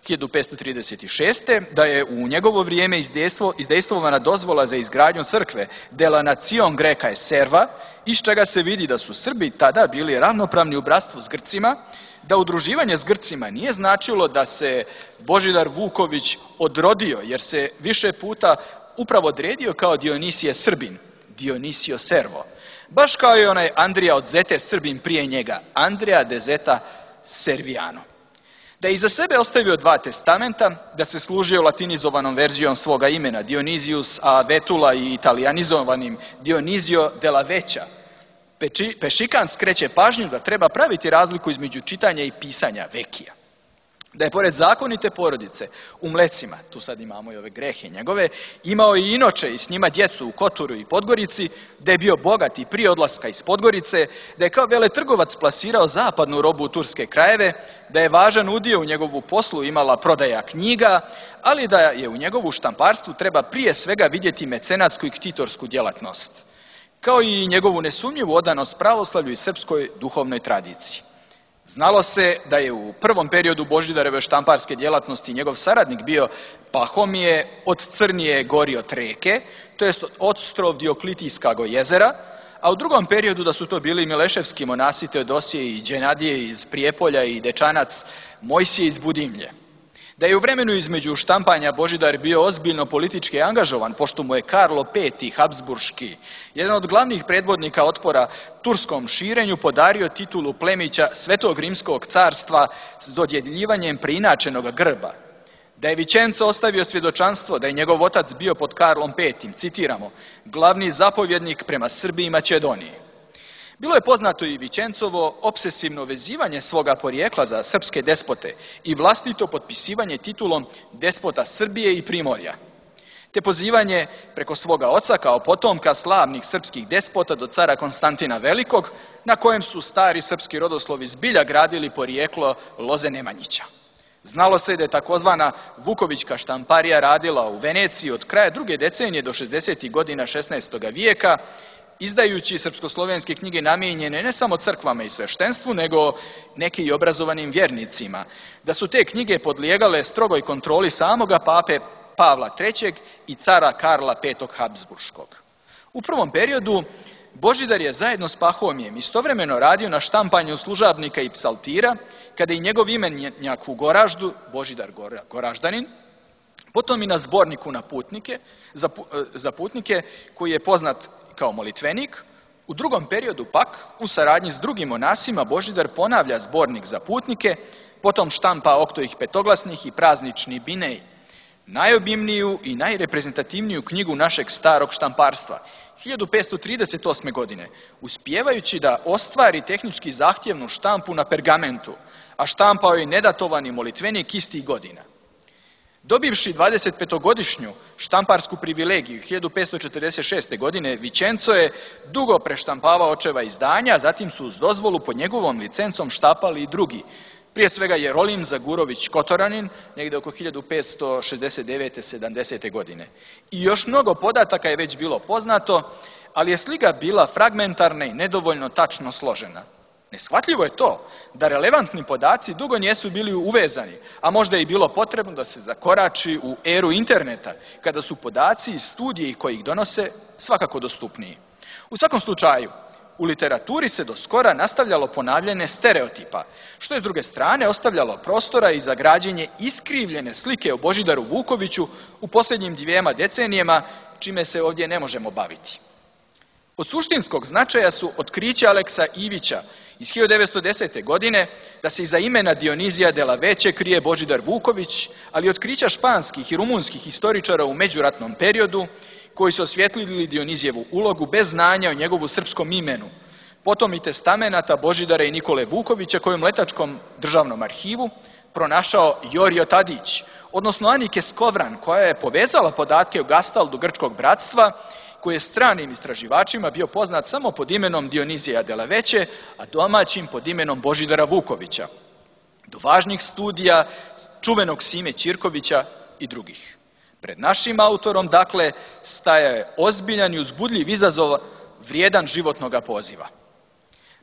hiljadu petsto trideset šeste. da je u njegovo vrijeme izdejstvo, izdejstvovana dozvola za izgradnju crkve Dela Nacion Greka Serva, iz čega se vidi da su Srbi tada bili ravnopravni u bratstvu s Grcima, da udruživanje s Grcima nije značilo da se Božidar Vuković odrodio, jer se više puta upravo odredio kao Dionisije Srbin, Dionisio Servo, baš kao i onaj Andrija od Zete Srbin prije njega, Andrija de Zeta Serviano. Da je iza sebe ostavio dva testamenta, da se služio latinizovanom verzijom svoga imena Dionizius a Vetula i italijanizovanim Dionizio della Vecchia. Pešikan skreće pažnju da treba praviti razliku između čitanja i pisanja Vekija. Da je pored zakonite porodice u Mlecima, tu sad imamo i ove grehe njegove, imao i inoče i s njima djecu u Koturu i Podgorici, da je bio bogat i prije odlaska iz Podgorice, da je kao veletrgovac plasirao zapadnu robu u turske krajeve, da je važan udio u njegovu poslu imala prodaja knjiga, ali da je u njegovu štamparstvu treba prije svega vidjeti mecenatsku i ktitorsku djelatnost, kao i njegovu nesumnjivu odanost pravoslavlju i srpskoj duhovnoj tradiciji. Znalo se da je u prvom periodu Božidareve štamparske djelatnosti njegov saradnik bio Pahomije od Crnije gori od Reke, to jest od ostrov Dioklitijskog jezera, a u drugom periodu da su to bili Mileševski monasi Teodosije i Đenadije iz Prijepolja i Dečanac Mojsije iz Budimlje. Da je u vremenu između štampanja Božidar bio ozbiljno politički angažovan, pošto mu je Karlo Peti Habsburški, jedan od glavnih predvodnika otpora turskom širenju, podario titulu plemića Svetog rimskog carstva s dodjeljivanjem preinačenog grba. Da je Vicenco ostavio svjedočanstvo da je njegov otac bio pod Karlom Petim, citiramo, glavni zapovjednik prema Srbiji i Makedoniji. Bilo je poznato i Vičencovo obsesivno vezivanje svoga porijekla za srpske despote i vlastito potpisivanje titulom despota Srbije i Primorja, te pozivanje preko svoga oca kao potomka slavnih srpskih despota do cara Konstantina Velikog, na kojem su stari srpski rodoslovi zbilja gradili porijeklo loze Nemanjića. Znalo se da je takozvana Vukovićka štamparija radila u Veneciji od kraja druge decenije do šezdesetih godina šesnaestog vijeka, izdajući srpskoslovenske knjige namijenjene ne samo crkvama i sveštenstvu, nego neki i obrazovanim vjernicima, da su te knjige podlijegale strogoj kontroli samoga pape Pavla trećeg i cara Karla petog Habsburškog. U prvom periodu Božidar je zajedno s Pahomijem istovremeno radio na štampanju služabnika i psaltira, kada i njegov imenjak u Goraždu, Božidar Goraždanin, potom i na zborniku na putnike, za, za putnike, koji je poznat kao molitvenik. U drugom periodu pak, u saradnji s drugim monasima, Božidar ponavlja zbornik za putnike, potom štampa oktojih petoglasnih i praznični binej, najobimniju i najreprezentativniju knjigu našeg starog štamparstva, hiljadu petsto trideset osme. godine, uspijevajući da ostvari tehnički zahtjevnu štampu na pergamentu, a štampao je nedatovani molitvenik istih godina. Dobivši dvadesetpetogodišnju štamparsku privilegiju hiljadu petsto četrdeset šeste. godine, Vičenco je dugo preštampavao očeva izdanja, a zatim su uz dozvolu pod njegovom licencom štapali i drugi, prije svega Jerolim Zagurović Kotoranin, negdje oko hiljadu petsto šezdeset devete sedamdesete. godine. I još mnogo podataka je već bilo poznato, ali je slika bila fragmentarna i nedovoljno tačno složena. Neshvatljivo je to da relevantni podaci dugo nisu bili uvezani, a možda je i bilo potrebno da se zakorači u eru interneta, kada su podaci iz studiji koji ih donose svakako dostupniji. U svakom slučaju, u literaturi se do skora nastavljalo ponavljanje stereotipa, što je s druge strane ostavljalo prostora i za građenje iskrivljene slike o Božidaru Vukoviću u posljednjim dvijema decenijama, čime se ovdje ne možemo baviti. Od suštinskog značaja su otkrića Aleksa Ivića iz hiljadu devetsto desete. godine da se iza imena Dionizija de la Veće krije Božidar Vuković, ali i otkrića španskih i rumunskih historičara u međuratnom periodu koji su osvjetlili Dionizijevu ulogu bez znanja o njegovu srpskom imenu, potom i testamenata Božidara i Nikole Vukovića koji u Mletačkom državnom arhivu pronašao Jorio Tadić, odnosno Anike Skovran, koja je povezala podatke o Gastaldu grčkog bratstva, koji je stranim istraživačima bio poznat samo pod imenom Dionizija de la Veće, a domaćim pod imenom Božidara Vukovića, do važnih studija čuvenog Sime Ćirkovića i drugih. Pred našim autorom, dakle, staja je ozbiljan i uzbudljiv izazov vrijedan životnog poziva.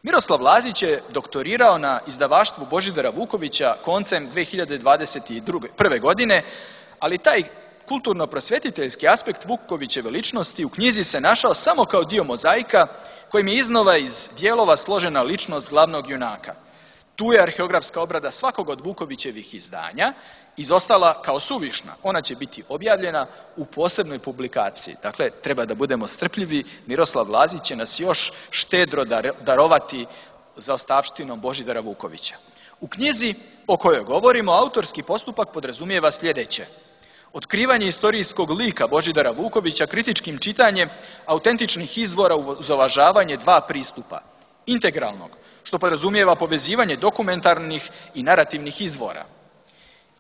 Miroslav Lazić je doktorirao na izdavaštvu Božidara Vukovića koncem dve hiljade dvadeset prve. godine, ali taj kulturno-prosvjetiteljski aspekt Vukovićeve ličnosti u knjizi se našao samo kao dio mozaika kojim je iznova iz dijelova složena ličnost glavnog junaka. Tu je arheografska obrada svakog od Vukovićevih izdanja izostala kao suvišna. Ona će biti objavljena u posebnoj publikaciji. Dakle, treba da budemo strpljivi. Miroslav Lazić će nas još štedro darovati za ostavštinom Božidara Vukovića. U knjizi o kojoj govorimo, autorski postupak podrazumijeva sljedeće: otkrivanje istorijskog lika Božidara Vukovića kritičkim čitanjem autentičnih izvora uz uvažavanje dva pristupa. Integralnog, što podrazumijeva povezivanje dokumentarnih i narativnih izvora,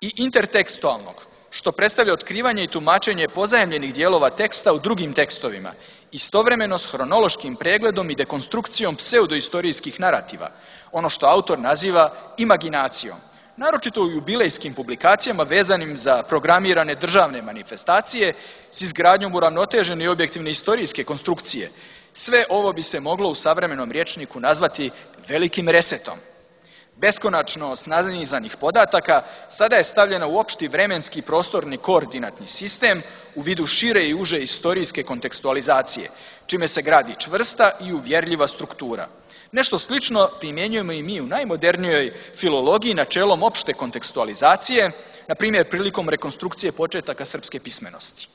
i intertekstualnog, što predstavlja otkrivanje i tumačenje pozajemljenih dijelova teksta u drugim tekstovima, istovremeno s hronološkim pregledom i dekonstrukcijom pseudoistorijskih narativa, ono što autor naziva imaginacijom, naročito u jubilejskim publikacijama vezanim za programirane državne manifestacije s izgradnjom uravnotežene i objektivne istorijske konstrukcije. Sve ovo bi se moglo u savremenom rječniku nazvati velikim resetom. Beskonačnost nanizanih podataka sada je stavljena u opšti vremenski prostorni koordinatni sistem u vidu šire i uže istorijske kontekstualizacije, čime se gradi čvrsta i uvjerljiva struktura. Nešto slično primjenjujemo i mi u najmodernijoj filologiji načelom opšte kontekstualizacije, na primjer prilikom rekonstrukcije početaka srpske pismenosti.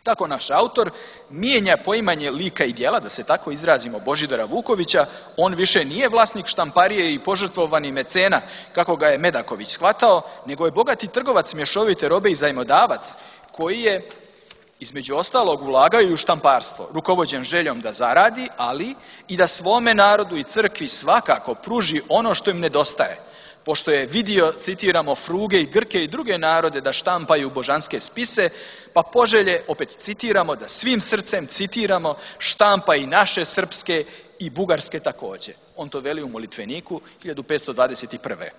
Tako naš autor mijenja poimanje lika i djela, da se tako izrazimo, Božidara Vukovića. On više nije vlasnik štamparije i požrtvovani mecena, kako ga je Medaković shvatao, nego je bogati trgovac mješovite robe i zajmodavac, koji je Između ostalog ulagaju u štamparstvo, rukovođen željom da zaradi, ali i da svome narodu i crkvi svakako pruži ono što im nedostaje, pošto je vidio, citiramo, Fruge i Grke i druge narode da štampaju božanske spise, pa poželje, opet citiramo, da svim srcem, citiramo, štampa i naše srpske i bugarske također. On to veli u molitveniku hiljadu petsto dvadeset prve.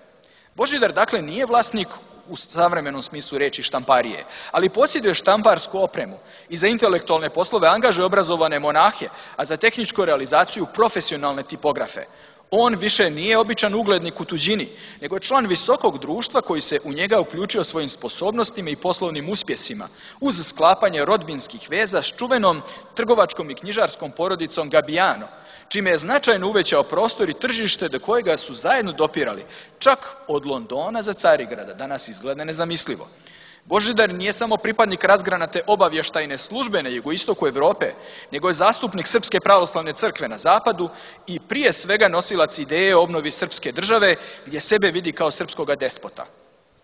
Božidar, dakle, nije vlasnik u savremenom smislu reči štamparije, ali posjeduje štamparsku opremu i za intelektualne poslove angažuje obrazovane monahe, a za tehničku realizaciju profesionalne tipografe. On više nije običan uglednik u tuđini, nego je član visokog društva koji se u njega uključio svojim sposobnostima i poslovnim uspjesima, uz sklapanje rodbinskih veza s čuvenom trgovačkom i knjižarskom porodicom Gabijano, čime je značajno uvećao prostor i tržište do kojega su zajedno dopirali, čak od Londona za Carigrada, danas izgleda nezamislivo. Božidar nije samo pripadnik razgranate obavještajne službe na jugoistoku Europe, nego je zastupnik Srpske pravoslavne crkve na zapadu i prije svega nosilac ideje o obnovi srpske države, gdje sebe vidi kao srpskoga despota.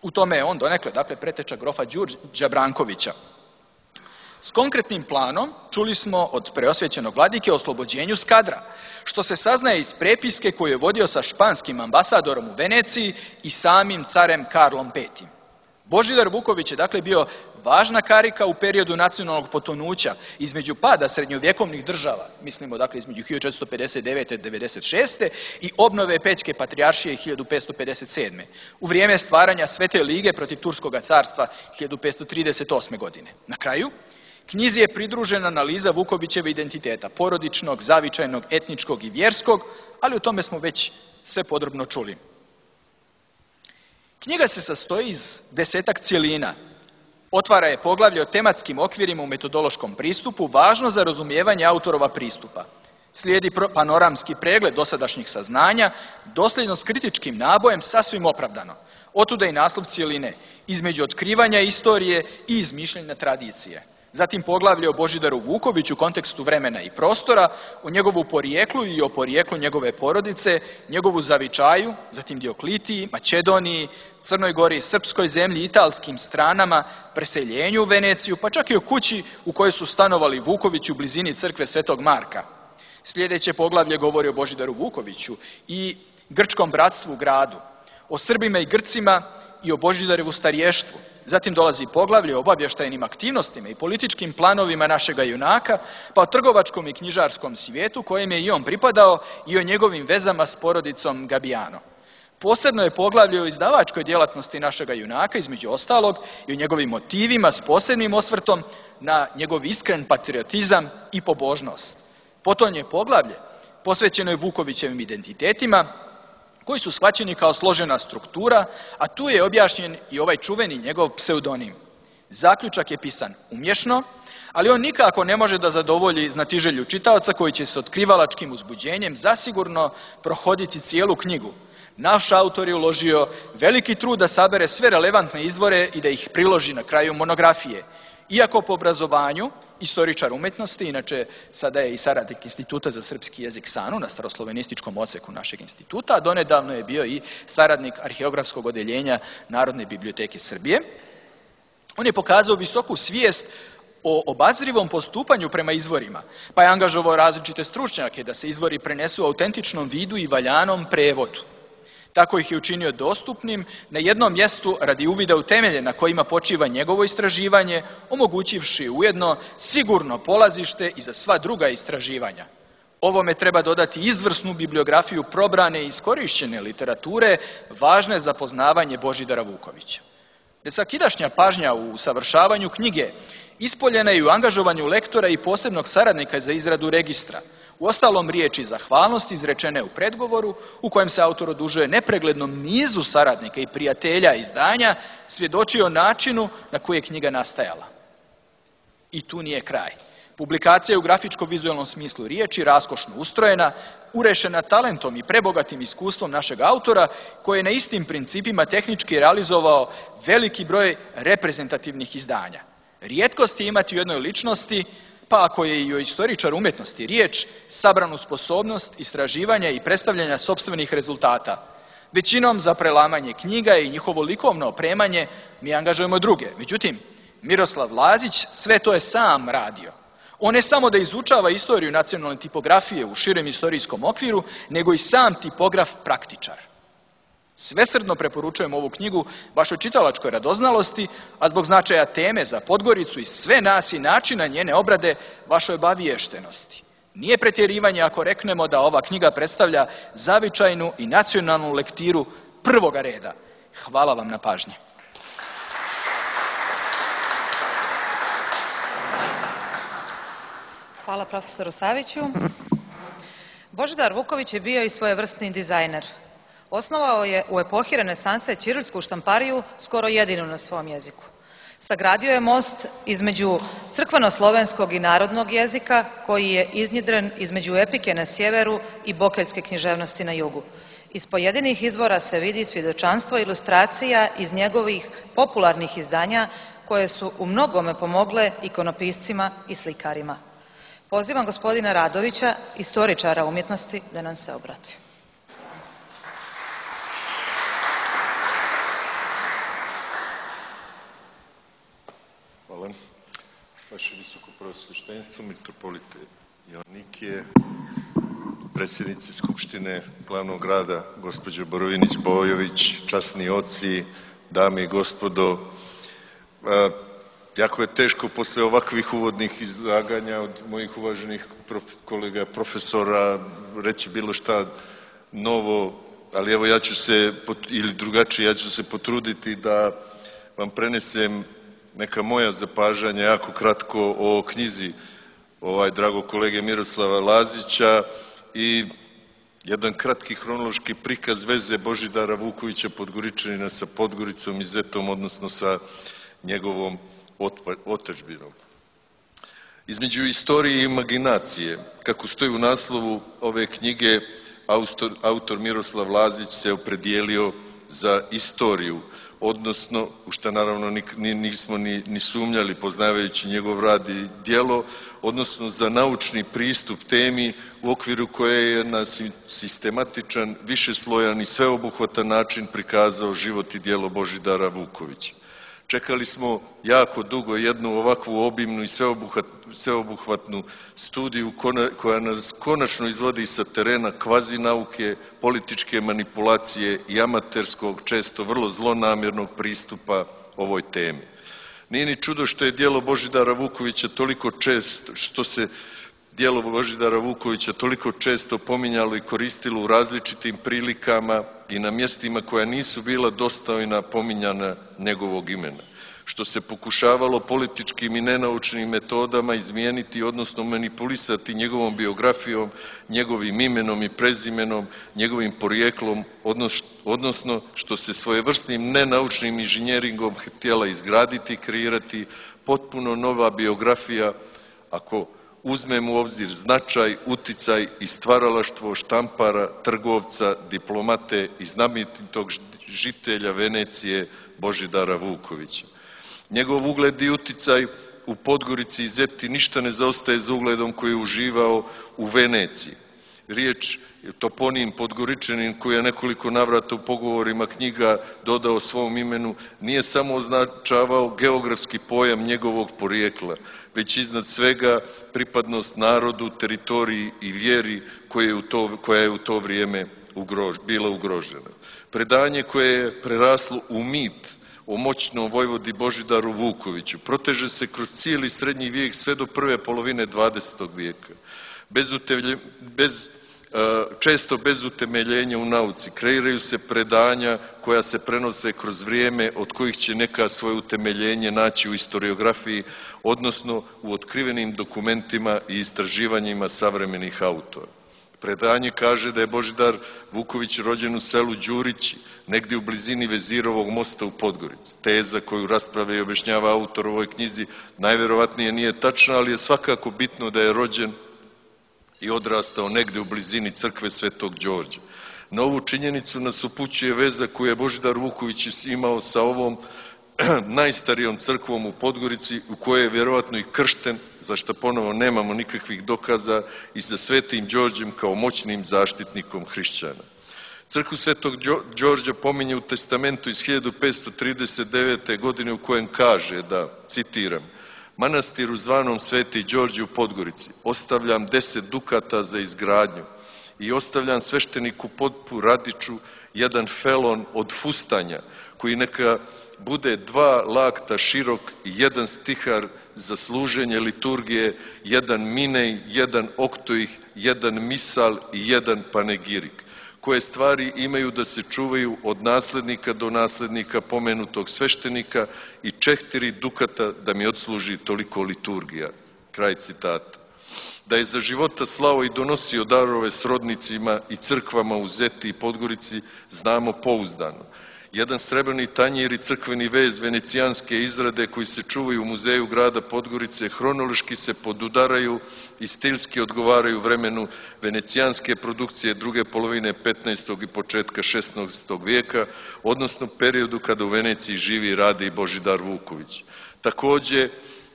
U tome je on donekle, dakle, preteča grofa Đurđa Brankovića. S konkretnim planom čuli smo od preosvećenog vladike o oslobođenju Skadra, što se saznaje iz prepiske koju je vodio sa španskim ambasadorom u Veneciji i samim carem Karlom petim. Božidar Vuković je dakle bio važna karika u periodu nacionalnog potonuća između pada srednjovjekovnih država, mislimo dakle između hiljadu četiristo pedeset devete i devedeset šeste i obnove Pećke patrijaršije hiljadu petsto pedeset sedme u vrijeme stvaranja Svete lige protiv Turskog carstva hiljadu petsto trideset osme. godine. Na kraju, knjizi je pridružena analiza Vukovićeve identiteta, porodičnog, zavičajnog, etničkog i vjerskog, ali o tome smo već sve podrobno čuli. Knjiga se sastoji iz desetak cjelina. Otvara je poglavlje o tematskim okvirima u metodološkom pristupu, važno za razumijevanje autorova pristupa. Slijedi panoramski pregled dosadašnjih saznanja, dosljedno s kritičkim nabojem, sasvim opravdano. Otuda i naslov cjeline, između otkrivanja istorije i izmišljanja tradicije. Zatim poglavlje o Božidaru Vukoviću u kontekstu vremena i prostora, o njegovu porijeklu i o porijeklu njegove porodice, njegovu zavičaju, zatim Dioklitiji, Makedoniji, Crnoj Gori, srpskoj zemlji, italskim stranama, preseljenju u Veneciju, pa čak i o kući u kojoj su stanovali Vukovići u blizini crkve Svetog Marka. Sljedeće poglavlje govori o Božidaru Vukoviću i grčkom bratstvu u gradu, o Srbima i Grcima i o Božidarevu starještvu. Zatim dolazi poglavlje o obavještajnim aktivnostima i političkim planovima našega junaka, pa o trgovačkom i knjižarskom svijetu kojem je i on pripadao i o njegovim vezama s porodicom Gabijano. Posebno je poglavlje o izdavačkoj djelatnosti našega junaka, između ostalog, i o njegovim motivima s posebnim osvrtom na njegov iskren patriotizam i pobožnost. Potom je poglavlje posvećeno je Vukovićevim identitetima, koji su shvaćeni kao složena struktura, a tu je objašnjen i ovaj čuveni njegov pseudonim. Zaključak je pisan umješno, ali on nikako ne može da zadovolji znatiželju čitaoca koji će s otkrivalačkim uzbuđenjem zasigurno prohoditi cijelu knjigu. Naš autor je uložio veliki trud da sabere sve relevantne izvore i da ih priloži na kraju monografije. Iako po obrazovanju, istoričar umjetnosti, inače sada je i saradnik Instituta za srpski jezik SANU na staroslovenističkom odseku našeg instituta, a donedavno je bio i saradnik arheografskog odeljenja Narodne biblioteke Srbije. On je pokazao visoku svijest o obazrivom postupanju prema izvorima, pa je angažovao različite stručnjake da se izvori prenesu u autentičnom vidu i valjanom prevodu. Tako ih je učinio dostupnim na jednom mjestu radi uvida u temelje na kojima počiva njegovo istraživanje, omogućivši ujedno sigurno polazište i za sva druga istraživanja. Ovome treba dodati izvrsnu bibliografiju probrane i iskorišćene literature, važne za poznavanje Božidara Vukovića. Nesakidašnja pažnja u usavršavanju knjige ispoljena je u angažovanju lektora i posebnog saradnika za izradu registra. Uostalom, riječi zahvalnosti izrečene u predgovoru, u kojem se autor odužuje nepreglednom nizu saradnika i prijatelja izdanja, svjedoči o načinu na koji je knjiga nastajala. I tu nije kraj. Publikacija je u grafičko-vizualnom smislu riječi raskošno ustrojena, urešena talentom i prebogatim iskustvom našeg autora, koji je na istim principima tehnički realizovao veliki broj reprezentativnih izdanja. Rijetkost je imati u jednoj ličnosti, pa ako je i o istoričaru umjetnosti riječ, sabranu sposobnost istraživanja i predstavljanja sopstvenih rezultata. Većinom za prelamanje knjiga i njihovo likovno opremanje mi angažujemo druge. Međutim, Miroslav Lazić sve to je sam radio. On ne samo da izučava istoriju nacionalne tipografije u širem istorijskom okviru, nego i sam tipograf praktičar. Svesrdno preporučujem ovu knjigu vašoj čitalačkoj radoznalosti, a zbog značaja teme za Podgoricu i sve nas i načina njene obrade vašoj obaviještenosti. Nije pretjerivanje ako reknemo da ova knjiga predstavlja zavičajnu i nacionalnu lektiru prvoga reda. Hvala vam na pažnji. Hvala profesoru Saviću. Božidar Vuković je bio i svojevrsni dizajner. Osnovao je u epohi renesanse ćirilsku štampariju, skoro jedinu na svom jeziku. Sagradio je most između crkveno-slovenskog i narodnog jezika, koji je iznjedren između epike na sjeveru i bokeljske književnosti na jugu. Iz pojedinih izvora se vidi svjedočanstvo ilustracija iz njegovih popularnih izdanja, koje su u mnogome pomogle ikonopiscima i slikarima. Pozivam gospodina Radovića, istoričara umjetnosti, da nam se obrati. Hvala. Vaše visoko preosveštenstvo, mitropolite Joannikije, predsjednici Skupštine glavnog grada, gospođo Borovinić-Bojović, časni oci, dame i gospodo. Jako je teško posle ovakvih uvodnih izlaganja od mojih uvaženih prof, kolega profesora reći bilo šta novo, ali evo ja ću se, ili drugačije, ja ću se potruditi da vam prenesem neka moja zapažanja jako kratko o knjizi ovaj dragog kolege Miroslava Lazića i jedan kratki hronološki prikaz veze Božidara Vukovića Podgoričanina sa Podgoricom i Zetom, odnosno sa njegovom otadžbinom. Između istorije i imaginacije, kako stoji u naslovu ove knjige, autor, autor Miroslav Lazić se opredijelio za istoriju, odnosno, u što naravno ni, nismo ni, ni sumnjali poznavajući njegov rad i djelo, odnosno za naučni pristup temi u okviru koje je na sistematičan, višeslojan i sveobuhvatan način prikazao život i djelo Božidara Vukovića. Čekali smo jako dugo jednu ovakvu obimnu i sveobuhvatnu studiju koja nas konačno izvodi sa terena kvazi nauke, političke manipulacije i amaterskog, često vrlo zlonamjernog pristupa ovoj temi. Nije ni čudo što je djelo Božidara Vukovića toliko često, što se djelo Božidara Vukovića toliko često pominjalo i koristilo u različitim prilikama i na mjestima koja nisu bila dostojna pominjana njegovog imena, što se pokušavalo političkim i nenaučnim metodama izmijeniti, odnosno manipulisati njegovom biografijom, njegovim imenom i prezimenom, njegovim porijeklom, odnosno što se svojevrsnim nenaučnim inženjeringom htjela izgraditi i kreirati potpuno nova biografija, ako uzmemo u obzir značaj, uticaj i stvaralaštvo štampara, trgovca, diplomate i znamenitog žitelja Venecije Božidara Vukovića. Njegov ugled i uticaj u Podgorici i Zeti ništa ne zaostaje za ugledom koji je uživao u Veneciji. Riječ toponim Podgoričanin, koji je nekoliko navrata u pogovorima knjiga dodao svom imenu, nije samo označavao geografski pojam njegovog porijekla, već iznad svega pripadnost narodu, teritoriji i vjeri koja je u to, koja je u to vrijeme ugrož, bila ugrožena. Predanje koje je preraslo u mit o moćnom vojvodi Božidaru Vukoviću proteže se kroz cijeli srednji vijek sve do prve polovine dvadesetog vijeka. Bez, utevlje, bez često bez utemeljenja u nauci, kreiraju se predanja koja se prenose kroz vrijeme, od kojih će neka svoje utemeljenje naći u historiografiji, odnosno u otkrivenim dokumentima i istraživanjima savremenih autora. Predanje kaže da je Božidar Vuković rođen u selu Đurići, negdje u blizini Vezirovog mosta u Podgorici. Teza koju rasprave i objašnjava autor u ovoj knjizi najverovatnije nije tačna, ali je svakako bitno da je rođen i odrastao negde u blizini crkve Svetog Đorđa. Na ovu činjenicu nas upućuje veza koju je Božidar Vuković imao sa ovom najstarijom crkvom u Podgorici, u kojoj je vjerovatno i kršten, za što ponovo nemamo nikakvih dokaza, i sa Svetim Đorđem kao moćnim zaštitnikom hrišćana. Crkvu Svetog Đorđa pominje u testamentu iz hiljadu petsto trideset devete. godine u kojem kaže da, citiram, manastiru zvanom Sveti Đorđe u Podgorici ostavljam deset dukata za izgradnju i ostavljam svešteniku Potpu Radiću jedan felon od fustanja koji neka bude dva lakta širok i jedan stihar za služenje liturgije, jedan minej, jedan oktoih, jedan misal i jedan panegirik, koje stvari imaju da se čuvaju od naslednika do naslednika pomenutog sveštenika i četiri dukata da mi odsluži toliko liturgija. Kraj citata. Da je za života slao i donosio darove srodnicima i crkvama u Zeti i Podgorici znamo pouzdano. Jedan srebrni tanjir i crkveni vez venecijanske izrade koji se čuvaju u muzeju grada Podgorice hronološki se podudaraju i stilski odgovaraju vremenu venecijanske produkcije druge polovine petnaestog i početka šesnaestog vijeka, odnosno periodu kada u Veneciji živi i radi i Božidar Vuković. Takođe,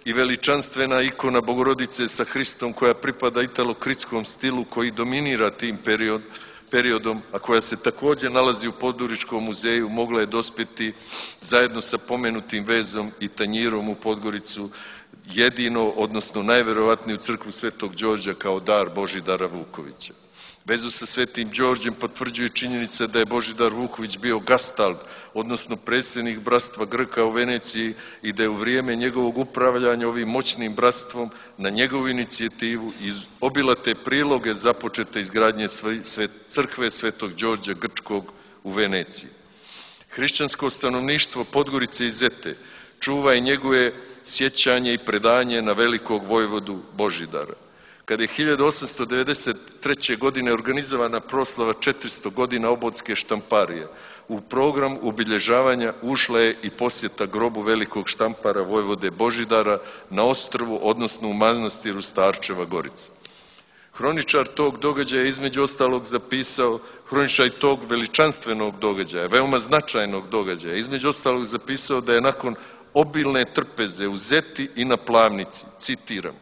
i veličanstvena ikona Bogorodice sa Hristom koja pripada italo-kritskom stilu koji dominira tim period, periodom, a koja se takođe nalazi u Podgoričkom muzeju, mogla je dospeti zajedno sa pomenutim vezom i tanjirom u Podgoricu jedino, odnosno najverovatnije u crkvu Svetog Đorđa kao dar Božidara Vukovića. Vezu sa Svetim Đorđem potvrđuje činjenica da je Božidar Vuković bio gastald, odnosno predsjednik bratstva Grka u Veneciji i da je u vrijeme njegovog upravljanja ovim moćnim bratstvom na njegovu inicijativu iz obilate priloge započete izgradnje crkve Svetog Đorđa Grčkog u Veneciji. Hrišćansko stanovništvo Podgorice i Zete čuva i njeguje sjećanje i predanje na velikog vojvodu Božidara. Kada je hiljadu osamsto devedeset treće. godine organizovana proslava četiristo godina Obodske štamparije, u program obilježavanja ušla je i posjeta grobu velikog štampara vojvode Božidara na ostrvu, odnosno u manastiru Starčeva Gorica. Hroničar tog događaja između ostalog zapisao, hroničar tog veličanstvenog događaja, veoma značajnog događaja, između ostalog zapisao da je nakon obilne trpeze u Zeti i na Plavnici, citiram,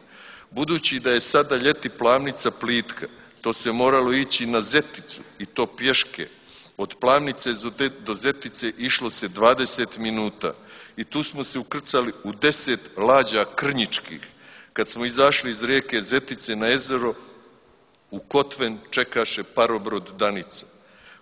budući da je sada ljeti Plavnica plitka, to se moralo ići na Zeticu i to pješke. Od Plavnice do Zetice išlo se dvadeset minuta i tu smo se ukrcali u deset lađa krnjičkih. Kad smo izašli iz rijeke Zetice na jezero, u Kotven čekaše parobrod Danica.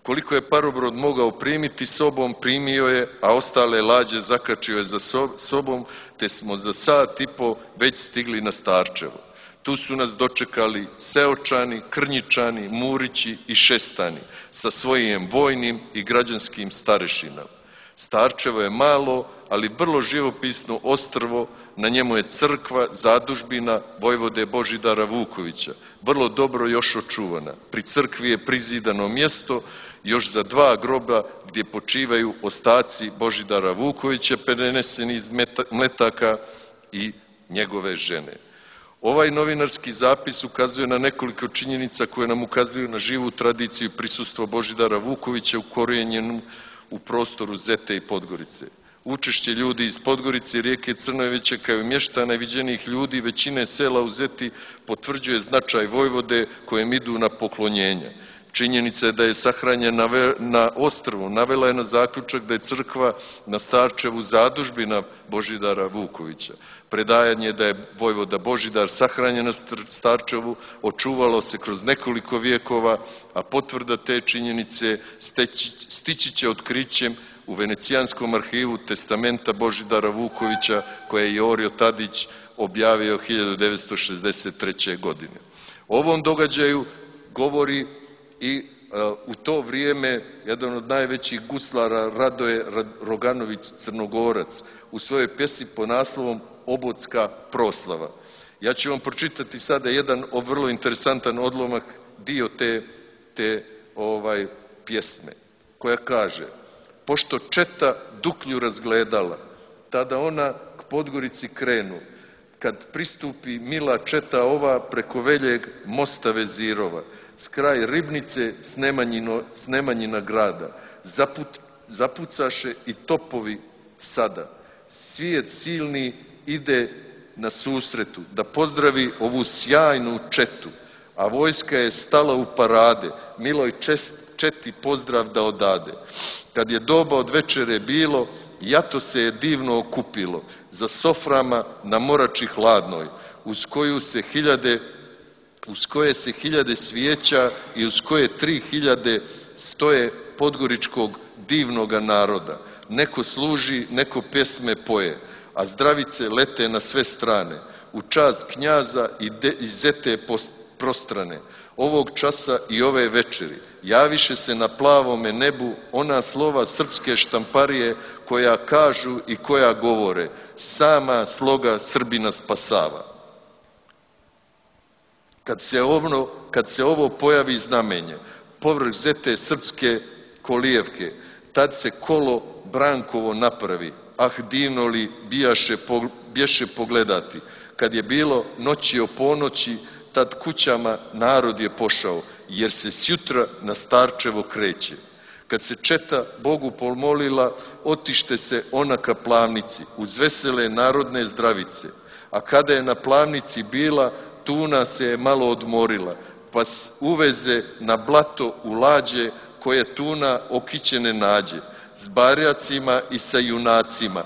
Koliko je parobrod mogao primiti sobom, primio je, a ostale lađe zakačio je za sobom, te smo za sat i po već stigli na Starčevo. Tu su nas dočekali Seočani, Krnjičani, Murići i Šestani sa svojim vojnim i građanskim starešinama. Starčevo je malo, ali vrlo živopisno ostrvo, na njemu je crkva, zadužbina vojvode Božidara Vukovića, vrlo dobro još očuvana. Pri crkvi je prizidano mjesto još za dva groba gdje počivaju ostaci Božidara Vukovića preneseni iz Mletaka i njegove žene. Ovaj novinarski zapis ukazuje na nekoliko činjenica koje nam ukazuju na živu tradiciju i prisustvo Božidara Vukovića ukorijenjenom u prostoru Zete i Podgorice. Učešće ljudi iz Podgorice i rijeke Crnojevića kao i mještana i viđenih ljudi većine sela u Zeti potvrđuje značaj vojvode kojem idu na poklonjenja. Činjenica je da je sahranjen na ostrvu, navela je na zaključak da je crkva na Starčevu zadužbina Božidara Vukovića. Predajanje da je vojvoda Božidar sahranjen na Starčevu očuvalo se kroz nekoliko vijekova, a potvrda te činjenice stići će otkrićem u Venecijanskom arhivu testamenta Božidara Vukovića koje je Jorio Tadić objavio hiljadu devetsto šezdeset treće. godine. O ovom događaju govori i u to vrijeme jedan od najvećih guslara Radoje Roganović Crnogorac u svojoj pjesmi po naslovom Obodska proslava. Ja ću vam pročitati sada jedan vrlo interesantan odlomak, dio te, te ovaj, pjesme, koja kaže: pošto četa Duklju razgledala, tada ona k Podgorici krenu, kad pristupi mila četa ova preko veljeg mosta Vezirova, s kraj Ribnice s Nemanjina grada, zaput, zapucaše i topovi sada. Svijet silni ide na susretu da pozdravi ovu sjajnu četu, a vojska je stala u parade, miloj čest, četi pozdrav da odade. Kad je doba od večere bilo, jato se je divno okupilo, za soframa na morači hladnoj, uz koju se hiljade, uz koje se hiljade svijeća i uz koje tri hiljade stoje podgoričkog divnoga naroda. Neko služi, neko pjesme poje, a zdravice lete na sve strane, u čast knjaza i, de, i zete prostrane. Ovog časa i ove večeri javiše se na plavome nebu ona slova srpske štamparije koja kažu i koja govore: sama sloga Srbina spasava. Kad se ovo, kad se ovo pojavi znamenje, povrh zete srpske kolijevke, tad se kolo Brankovo napravi, ah divno li bijaše, bješe pogledati. Kad je bilo noći o ponoći, tad kućama narod je pošao, jer se sjutra na Starčevo kreće. Kad se četa Bogu pomolila, otište se ona ka Plavnici, uz vesele narodne zdravice. A kada je na Plavnici bila, tuna se je malo odmorila, pa uveze na blato u lađe, koje tuna okićene nađe, s barjacima i sa junacima.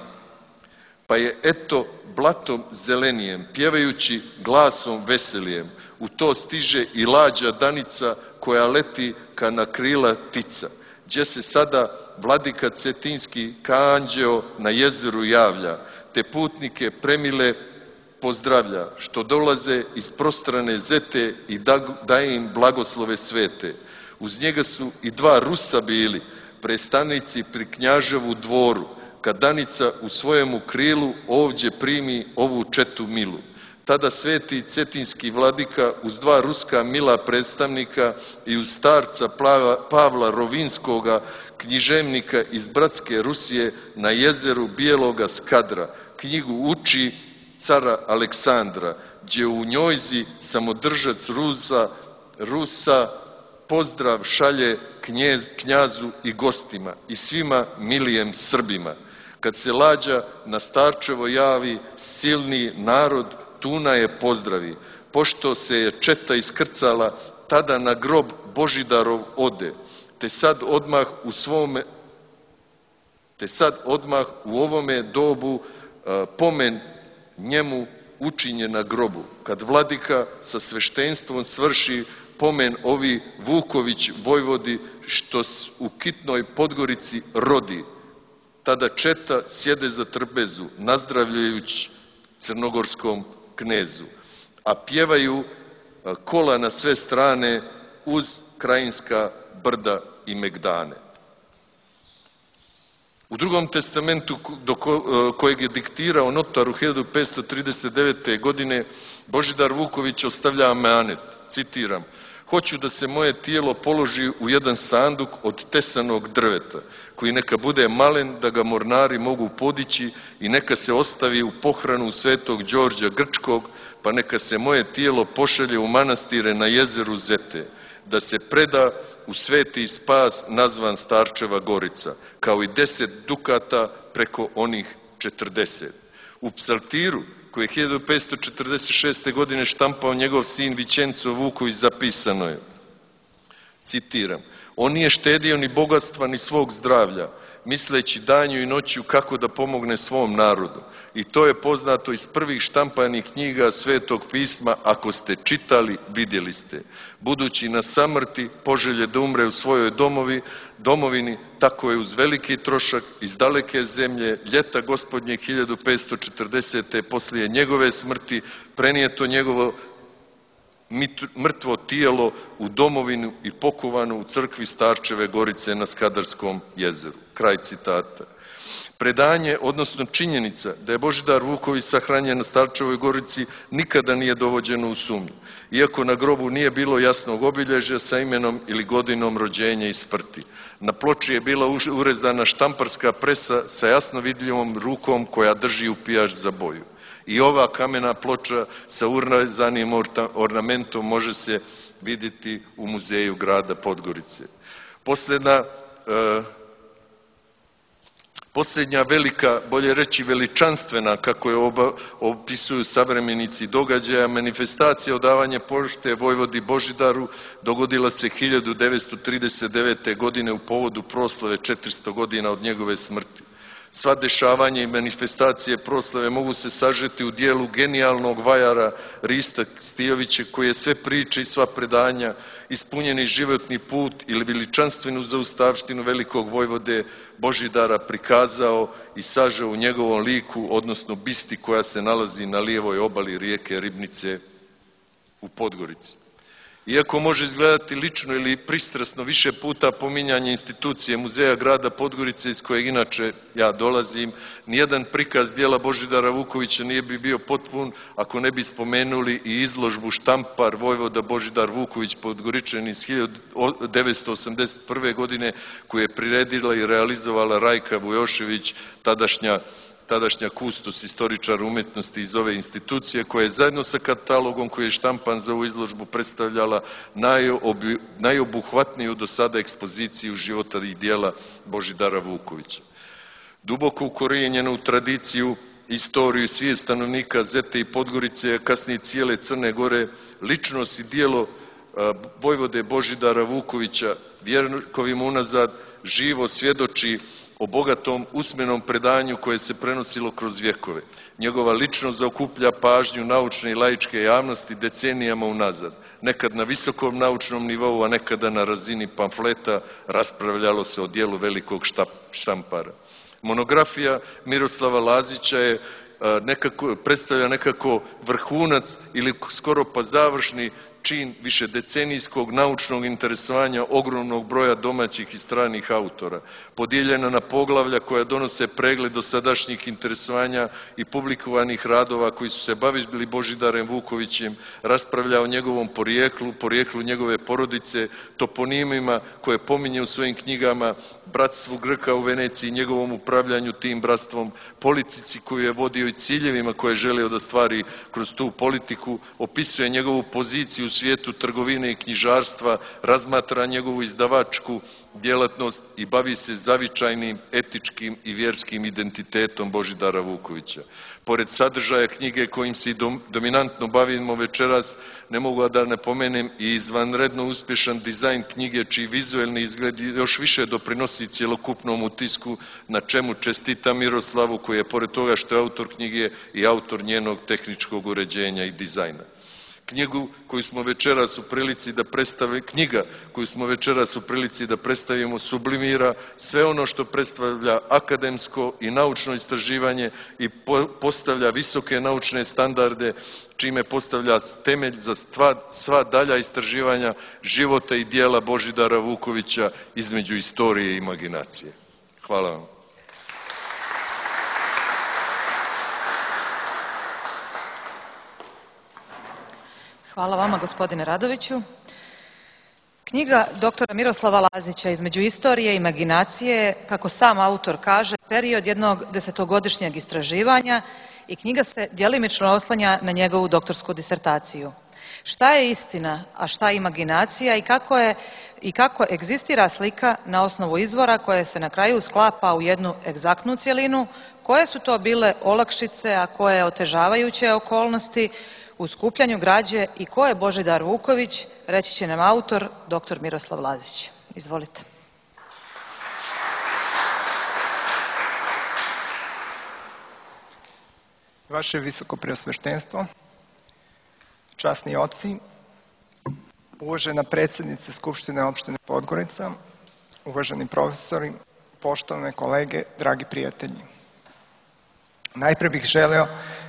Pa je eto blatom zelenijem, pjevajući glasom veselijem, u to stiže i lađa Danica, koja leti ka na krila tica, gdje se sada vladika Cetinski ka anđeo na jezeru javlja, te putnike premile pozdravlja, što dolaze iz prostrane zete i daje im blagoslove svete. Uz njega su i dva Rusa bili, predstavnici pri Knjaževu dvoru, kad Danica u svojemu krilu ovdje primi ovu četu milu. Tada sveti cetinski vladika uz dva ruska mila predstavnika i uz starca Pavla Rovinskoga, književnika iz bratske Rusije, na jezeru Bijeloga Skadra, knjigu uči cara Aleksandra, gdje u njojzi samodržac Rusa, Rusa pozdrav šalje knjez, knjazu i gostima i svima milijem Srbima. Kad se lađa na Starčevo javi, silni narod tuna je pozdravi, pošto se je četa iskrcala, tada na grob Božidarov ode, te sad odmah u svome, te sad odmah u ovome dobu a, pomen njemu učinje na grobu. Kad vladika sa sveštenstvom svrši pomen ovi Vuković vojvodi, što u Kitnoj Podgorici rodi, tada četa sjede za trpezu, nazdravljajući crnogorskom knezu, a pjevaju kola na sve strane uz krajinska brda i megdane. U drugom testamentu do kojeg je diktirao notar u hiljadu petsto trideset devete. godine, Božidar Vuković ostavlja amanet, citiram: hoću da se moje tijelo položi u jedan sanduk od tesanog drveta, koji neka bude malen da ga mornari mogu podići i neka se ostavi u pohranu svetog Đorđa Grčkog, pa neka se moje tijelo pošalje u manastire na jezeru Zete, da se preda u sveti spas nazvan Starčeva Gorica, kao i deset dukata preko onih četrdeset. U psaltiru, koji je hiljadu petsto četrdeset šeste. godine štampao njegov sin Vićenco Vuković, zapisano je, citiram: on nije štedio ni bogatstva ni svog zdravlja, misleći danju i noću kako da pomogne svom narodu. I to je poznato iz prvih štampanih knjiga Svetog pisma, ako ste čitali, vidjeli ste. Budući na samrti poželje da umre u svojoj domovi, domovini, tako je uz veliki trošak iz daleke zemlje ljeta gospodnje hiljadu petsto četrdesete. poslije njegove smrti prenijeto njegovo mrtvo tijelo u domovinu i pokovano u crkvi Starčeve Gorice na Skadarskom jezeru. Kraj citata. Predanje, odnosno činjenica da je Božidar Vuković sahranjen na Starčevoj Gorici, nikada nije dovođeno u sumnju, iako na grobu nije bilo jasnog obilježja sa imenom ili godinom rođenja i smrti. Na ploči je bila urezana štamparska presa sa jasno vidljivom rukom koja drži upijač za boju. I ova kamena ploča sa urezanim ornamentom može se vidjeti u muzeju grada Podgorice. Posljedna e, Posljednja velika, bolje reći veličanstvena, kako je oba, opisuju savremenici događaja, manifestacija odavanja pošte Vojvodi Božidaru dogodila se hiljadu devetsto trideset devete. godine u povodu proslave četiristo godina od njegove smrti. Sva dešavanja i manifestacije proslave mogu se sažeti u dijelu genijalnog vajara Rista Stijovića, koji je sve priče i sva predanja, ispunjeni životni put ili veličanstvenu zaustavštinu velikog vojvode Božidara prikazao i sažao u njegovom liku, odnosno bisti koja se nalazi na lijevoj obali rijeke Ribnice u Podgorici. Iako može izgledati lično ili pristrasno više puta pominjanje institucije Muzeja grada Podgorice, iz kojeg inače ja dolazim, nijedan prikaz dijela Božidara Vukovića nije bi bio potpun ako ne bi spomenuli i izložbu Štampar Vojvoda Božidar Vuković Podgoričan iz hiljadu devetsto osamdeset prve. godine, koju je priredila i realizovala Rajka Vujošević, tadašnja tadašnja kustos, istoričar umetnosti iz ove institucije, koja je zajedno sa katalogom koji je štampan za ovu izložbu predstavljala najobuhvatniju do sada ekspoziciju života i dijela Božidara Vukovića. Duboko ukorijenjena u tradiciju, istoriju, svijest stanovnika Zete i Podgorice, a kasnije cijele Crne Gore, ličnost i dijelo Vojvode Božidara Vukovića vjekovima unazad živo svjedoči o bogatom usmenom predanju koje se prenosilo kroz vjekove. Njegova ličnost zaokuplja pažnju naučne i laičke javnosti decenijama unazad. Nekad na visokom naučnom nivou, a nekada na razini pamfleta raspravljalo se o dijelu velikog Štampara. Monografija Miroslava Lazića je nekako, predstavlja nekako vrhunac ili skoro pa završni čin višedecenijskog naučnog interesovanja ogromnog broja domaćih i stranih autora, podijeljena na poglavlja koja donose pregled dosadašnjih interesovanja i publikovanih radova koji su se bavili Božidarem Vukovićem, raspravlja o njegovom porijeklu, porijeklu njegove porodice, toponimima koje pominje u svojim knjigama, bratstvu Grka u Veneciji, njegovom upravljanju tim bratstvom, politici koju je vodio i ciljevima koje je želio da stvari kroz tu politiku, opisuje njegovu poziciju u svijetu trgovine i knjižarstva, razmatra njegovu izdavačku djelatnost i bavi se zavičajnim, etičkim i vjerskim identitetom Božidara Vukovića. Pored sadržaja knjige kojim se i dominantno bavimo večeras, ne mogu da ne pomenem i izvanredno uspješan dizajn knjige, čiji vizuelni izgled još više doprinosi cjelokupnom utisku, na čemu čestita Miroslavu, koji je pored toga što je autor knjige i autor njenog tehničkog uređenja i dizajna. Knjigu koju smo večeras u prilici da predstavi, knjiga koju smo večeras u prilici da predstavimo sublimira sve ono što predstavlja akademsko i naučno istraživanje i postavlja visoke naučne standarde, čime postavlja temelj za sva dalja istraživanja života i dijela Božidara Vukovića između istorije i imaginacije. Hvala vam. Hvala vama, gospodine Radoviću. Knjiga doktora Miroslava Lazića između istorije i imaginacije, kako sam autor kaže, period jednog desetogodišnjeg istraživanja i knjiga se djelimično oslanja na njegovu doktorsku disertaciju. Šta je istina, a šta je imaginacija i kako je i kako egzistira slika na osnovu izvora koje se na kraju sklapa u jednu egzaktnu cjelinu, koje su to bile olakšice, a koje otežavajuće okolnosti u skupljanju građe i ko je Božidar Vuković, reći će nam autor, doktor Miroslav Lazić. Izvolite. Vaše visoko preosveštenstvo, časni oci, uvažena predsjednice Skupštine opštine Podgorica, uvaženi profesori, poštovane kolege, dragi prijatelji. Najpre bih želeo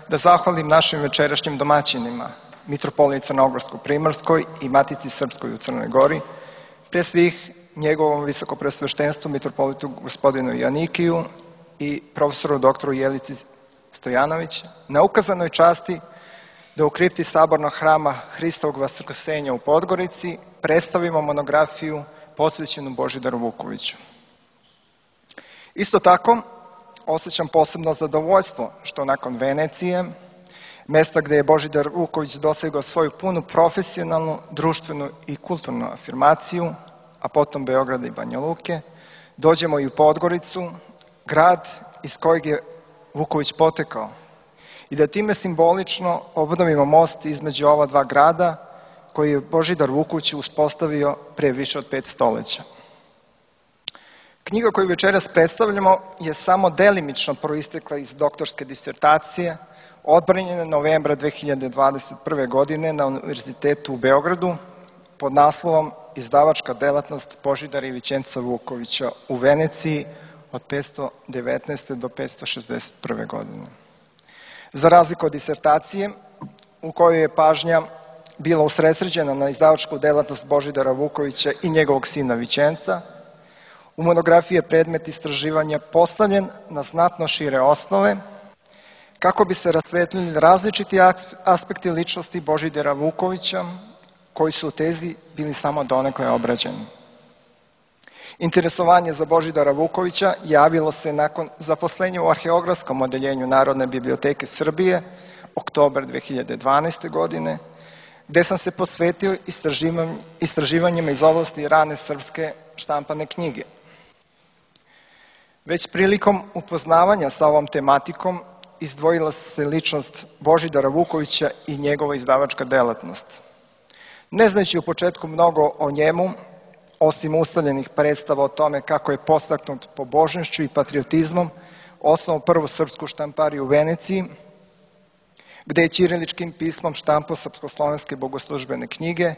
da zahvalim našim večerašnjim domaćinima, Mitropoliji Crnogorsko-Primorskoj i Matici Srpskoj u Crnoj Gori, pre svih njegovom visokopreosveštenstvu Mitropolitu gospodinu Joanikiju i profesoru doktoru Jelici Stojanović, na ukazanoj časti da u kripti Sabornog hrama Hristovog Vaskrsenja u Podgorici predstavimo monografiju posvećenu Božidaru Vukoviću. Isto tako, osjećam posebno zadovoljstvo što nakon Venecije, mesta gde je Božidar Vuković dosegao svoju punu profesionalnu, društvenu i kulturnu afirmaciju, a potom Beograda i Banja Luke, dođemo i u Podgoricu, grad iz kojeg je Vuković potekao i da time simbolično obnovimo most između ova dva grada koji je Božidar Vuković uspostavio pre više od pet stoleća. Knjiga koju večeras predstavljamo je samo delimično proistekla iz doktorske disertacije, odbranjene novembra dve hiljade dvadeset prve. godine na Univerzitetu u Beogradu pod naslovom Izdavačka delatnost Božidara i Vićenca Vukovića u Veneciji od petsto devetnaeste. do petsto šezdeset prve. godine. Za razliku od disertacije, u kojoj je pažnja bila usredsređena na izdavačku delatnost Božidara Vukovića i njegovog sina Vićenca, u monografiji je predmet istraživanja postavljen na znatno šire osnove, kako bi se rasvetlili različiti aspekti ličnosti Božidara Vukovića, koji su u tezi bili samo donekle obrađeni. Interesovanje za Božidara Vukovića javilo se nakon zaposlenja u Arheografskom odeljenju Narodne biblioteke Srbije, oktobar dve hiljade dvanaeste. godine, gde sam se posvetio istraživanjima iz oblasti rane srpske štampane knjige. Već prilikom upoznavanja sa ovom tematikom izdvojila se ličnost Božidara Vukovića i njegova izdavačka delatnost. Ne znajući u početku mnogo o njemu, osim ustaljenih predstava o tome kako je podstaknut pobožnošću i patriotizmom, osnovao prvu srpsku štampariju u Veneciji, gde je ćiriličkim pismom štampao srpsko-slovenske bogoslužbene knjige,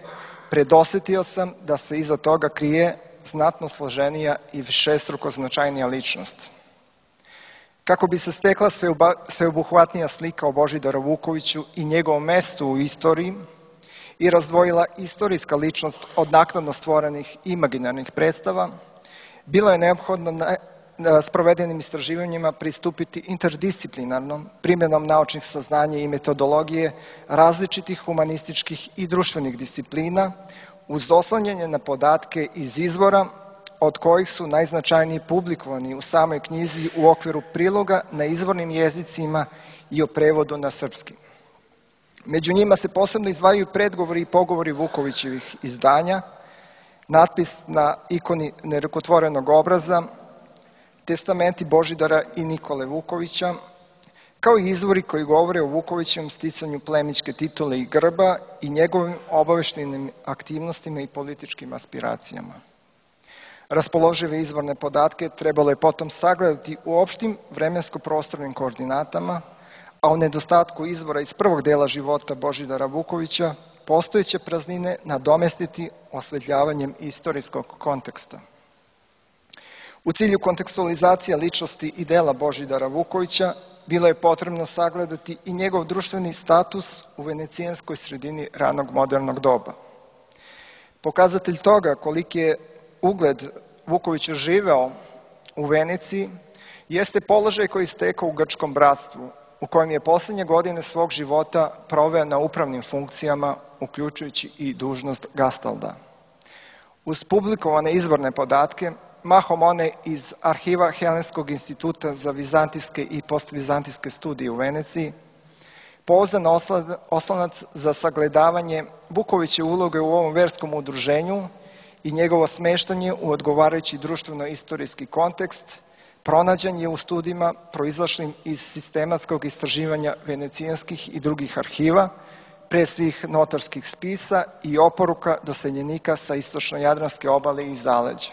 predosetio sam da se iza toga krije znatno složenija i višestruko značajnija ličnost. Kako bi se stekla sveobuhvatnija slika o Božidaru Vukoviću i njegovom mestu u istoriji i razdvojila istorijska ličnost od naknadno stvorenih imaginarnih predstava, bilo je neophodno na sprovedenim istraživanjima pristupiti interdisciplinarnom primjenom naučnih saznanja i metodologije različitih humanističkih i društvenih disciplina uz oslanjanje na podatke iz izvora od kojih su najznačajniji publikovani u samoj knjizi u okviru priloga na izvornim jezicima i o prevodu na srpski. Među njima se posebno izdvajaju predgovori i pogovori Vukovićevih izdanja, natpis na ikoni nerukotvorenog obraza, testamenti Božidara i Nikole Vukovića, kao i izvori koji govore o Vukovićevom sticanju plemićke titule i grba i njegovim obaveštenim aktivnostima i političkim aspiracijama. Raspoložive izvorne podatke trebalo je potom sagledati u opštim vremensko-prostornim koordinatama, a u nedostatku izvora iz prvog dela života Božidara Vukovića postojeće praznine nadomestiti osvetljavanjem istorijskog konteksta. U cilju kontekstualizacije ličnosti i dela Božidara Vukovića bilo je potrebno sagledati i njegov društveni status u venecijanskoj sredini ranog modernog doba. Pokazatelj toga koliki je ugled Vukovića živeo u Veneciji jeste položaj koji je stekao u Grčkom bratstvu, u kojem je poslednje godine svog života proveo na upravnim funkcijama, uključujući i dužnost gastalda. Uz publikovane izvorne podatke, mahom one iz arhiva Helenskog instituta za vizantijske i postvizantijske studije u Veneciji, pouzdan oslonac za sagledavanje Vukoviće uloge u ovom verskom udruženju i njegovo smeštanje u odgovarajući društveno-istorijski kontekst, pronađen je u studijima proizašlim iz sistematskog istraživanja venecijanskih i drugih arhiva, pre svih notarskih spisa i oporuka doseljenika sa istočno-jadranske obale i zaleđa.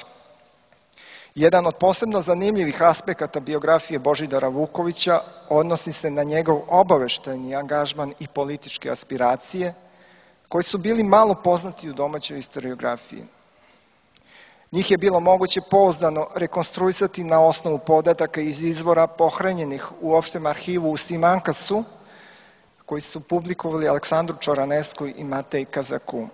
Jedan od posebno zanimljivih aspekata biografije Božidara Vukovića odnosi se na njegov obaveštajni angažman i političke aspiracije, koji su bili malo poznati u domaćoj historiografiji. Njih je bilo moguće pouzdano rekonstruisati na osnovu podataka iz izvora pohranjenih u opštem arhivu u Simankasu, koji su publikovali Aleksandru Čoranesku i Matej Kazaku.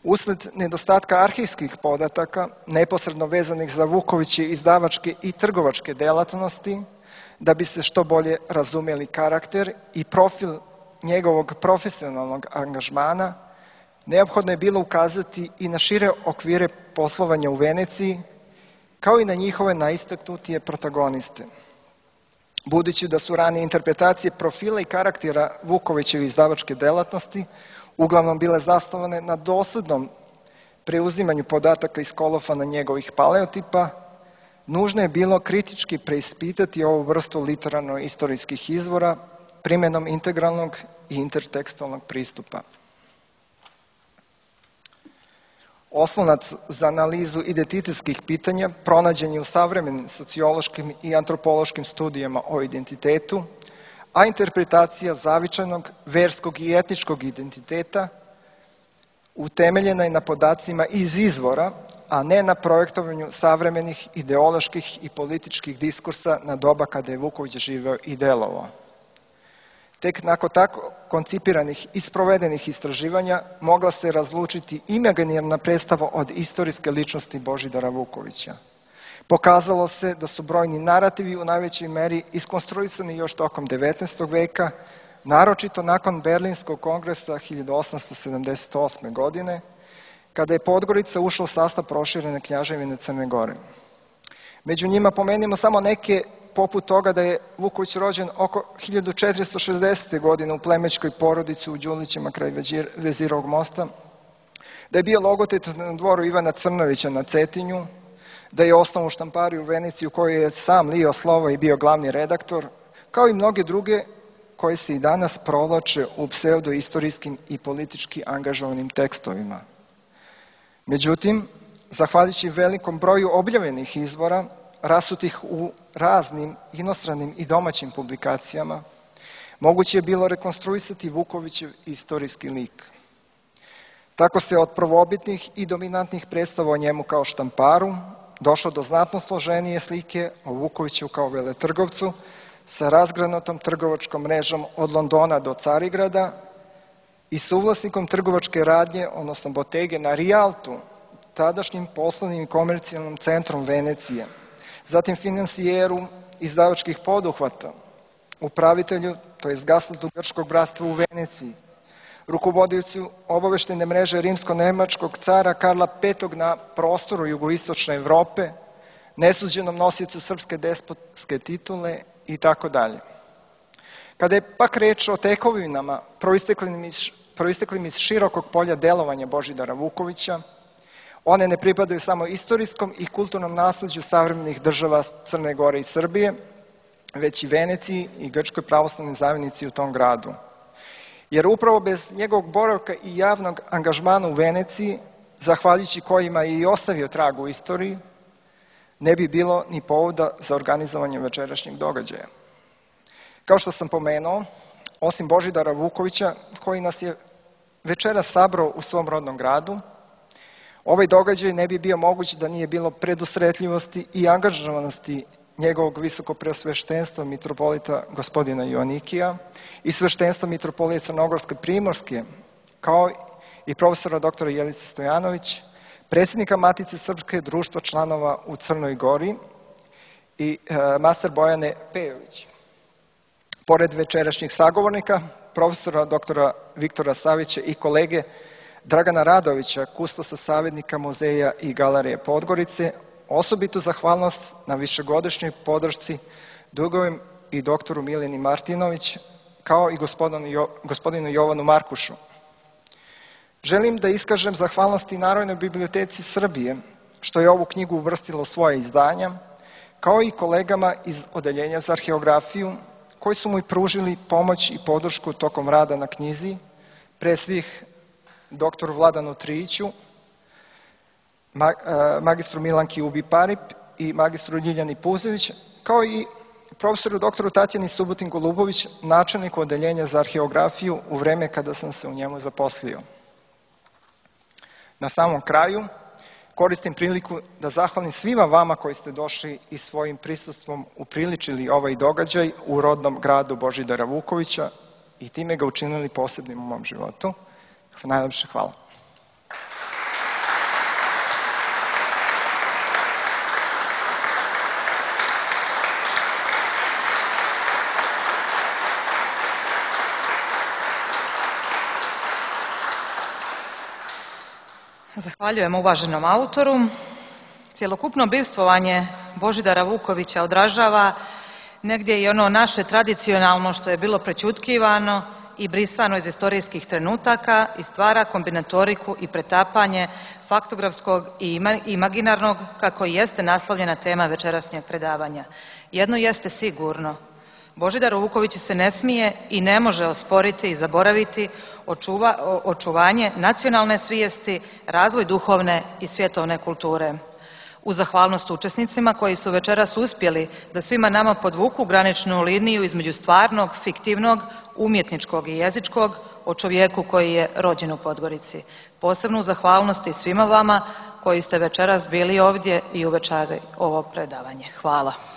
Usled nedostatka arhivskih podataka, neposredno vezanih za Vukoviće izdavačke i trgovačke delatnosti, da bi se što bolje razumeli karakter i profil njegovog profesionalnog angažmana, neophodno je bilo ukazati i na šire okvire poslovanja u Veneciji, kao i na njihove najistaknutije protagoniste. Budući da su ranije interpretacije profila i karaktera Vukovićeve izdavačke delatnosti uglavnom bile zasnovane na doslednom preuzimanju podataka iz kolofana njegovih paleotipa, nužno je bilo kritički preispitati ovu vrstu literarno-istorijskih izvora primjenom integralnog i intertekstualnog pristupa. Oslonac za analizu identitetskih pitanja pronađen je u savremenim sociološkim i antropološkim studijama o identitetu, a interpretacija zavičajnog, verskog i etničkog identiteta utemeljena je na podacima iz izvora, a ne na projektovanju savremenih ideoloških i političkih diskursa na doba kada je Vuković živeo i delovao. Tek nakon tako koncipiranih i sprovedenih istraživanja mogla se razlučiti imaginarna predstava od istorijske ličnosti Božidara Vukovića. Pokazalo se da su brojni narativi u najvećoj meri iskonstruisani još tokom devetnaestog veka, naročito nakon Berlinskog kongresa hiljadu osamsto sedamdeset osme. godine, kada je Podgorica ušla u sastav proširene Kneževine Crne Gore. Među njima pomenimo samo neke, poput toga da je Vuković rođen oko hiljadu četiristo šezdesete. godine u plemićkoj porodici u Đulićima kraj Vezirovog mosta, da je bio logotet na dvoru Ivana Crnovića na Cetinju, da je osnovnu štampariju u Veneciji u kojoj je sam lio slovo i bio glavni redaktor, kao i mnoge druge koje se i danas provlače u pseudoistorijskim i politički angažovanim tekstovima. Međutim, zahvaljujući velikom broju objavljenih izvora, rasutih u raznim inostranim i domaćim publikacijama, moguće je bilo rekonstruisati Vukovićev istorijski lik. Tako se od prvobitnih i dominantnih predstava o njemu kao štamparu došlo do znatno složenije slike o Vukoviću kao veletrgovcu sa razgranatom trgovačkom mrežom od Londona do Carigrada i suvlasnikom trgovačke radnje, odnosno botege na Rijaltu, tadašnjim poslovnim i komercijalnim centrom Venecije, zatim finansijeru izdavačkih poduhvata, upravitelju, to je Gaslatu grčkog bratstva u Veneciji, rukovodiocu obaveštene mreže rimsko-nemačkog cara Karla petog. na prostoru jugoistočne Evrope, nesuđenom nosiocu srpske despotske titule i tako dalje. Kada je pak reč o tekovinama proisteklim iz, proisteklim iz širokog polja delovanja Božidara Vukovića, one ne pripadaju samo istorijskom i kulturnom nasleđu savremenih država Crne Gore i Srbije, već i Veneciji i Grčkoj pravoslavnoj zajednici u tom gradu. Jer upravo bez njegovog boravka i javnog angažmana u Veneciji, zahvaljujući kojima je i ostavio trag u istoriji, ne bi bilo ni povoda za organizovanje večerašnjeg događaja. Kao što sam pomenuo, osim Božidara Vukovića, koji nas je večeras sabrao u svom rodnom gradu, ovaj događaj ne bi bio moguć da nije bilo predusretljivosti i angažovanosti njegovog visokopreosveštenstva mitropolita gospodina Joanikija i sveštenstva mitropolije Crnogorske Primorske, kao i profesora doktora Jelice Stojanović, predsjednika Matice Srpske društva članova u Crnoj Gori i e, master Bojane Pejović. Pored večerašnjih sagovornika, profesora doktora Viktora Savića i kolege Dragana Radovića, kustosa savjetnika muzeja i galerije Podgorice, osobitu zahvalnost na višegodišnjoj podršci dugujem i doktoru Mileni Martinović, kao i gospodinu, jo, gospodinu Jovanu Markušu. Želim da iskažem zahvalnost i Narodnoj biblioteci Srbije, što je ovu knjigu uvrstilo u svoje izdanja, kao i kolegama iz Odeljenja za arheografiju, koji su mu i pružili pomoć i podršku tokom rada na knjizi, pre svih doktoru Vladanu Trijiću, magistru Milanki Ubi-Parip i magistru Ljiljani Puzević, kao i profesoru doktoru Tatjani Subotin-Golubović, načelniku Odeljenja za arheografiju u vreme kada sam se u njemu zaposlio. Na samom kraju, koristim priliku da zahvalim svima vama koji ste došli i svojim prisustvom upriličili ovaj događaj u rodnom gradu Božidara Vukovića i time ga učinili posebnim u mom životu. Najlepše hvala. Zahvaljujem uvaženom autoru. Cjelokupno bivstvovanje Božidara Vukovića odražava negdje i ono naše tradicionalno što je bilo prećutkivano i brisano iz istorijskih trenutaka i stvara kombinatoriku i pretapanje faktografskog i imaginarnog, kako i jeste naslovljena tema večerašnjeg predavanja. Jedno jeste sigurno, Božidaru Vukoviću se ne smije i ne može osporiti i zaboraviti očuva, očuvanje nacionalne svijesti, razvoj duhovne i svjetovne kulture. Uz zahvalnost učesnicima koji su večeras uspjeli da svima nama podvuku graničnu liniju između stvarnog, fiktivnog, umjetničkog i jezičkog o čovjeku koji je rođen u Podgorici. Posebnu zahvalnost i svima vama koji ste večeras bili ovdje i uvečari ovo predavanje. Hvala.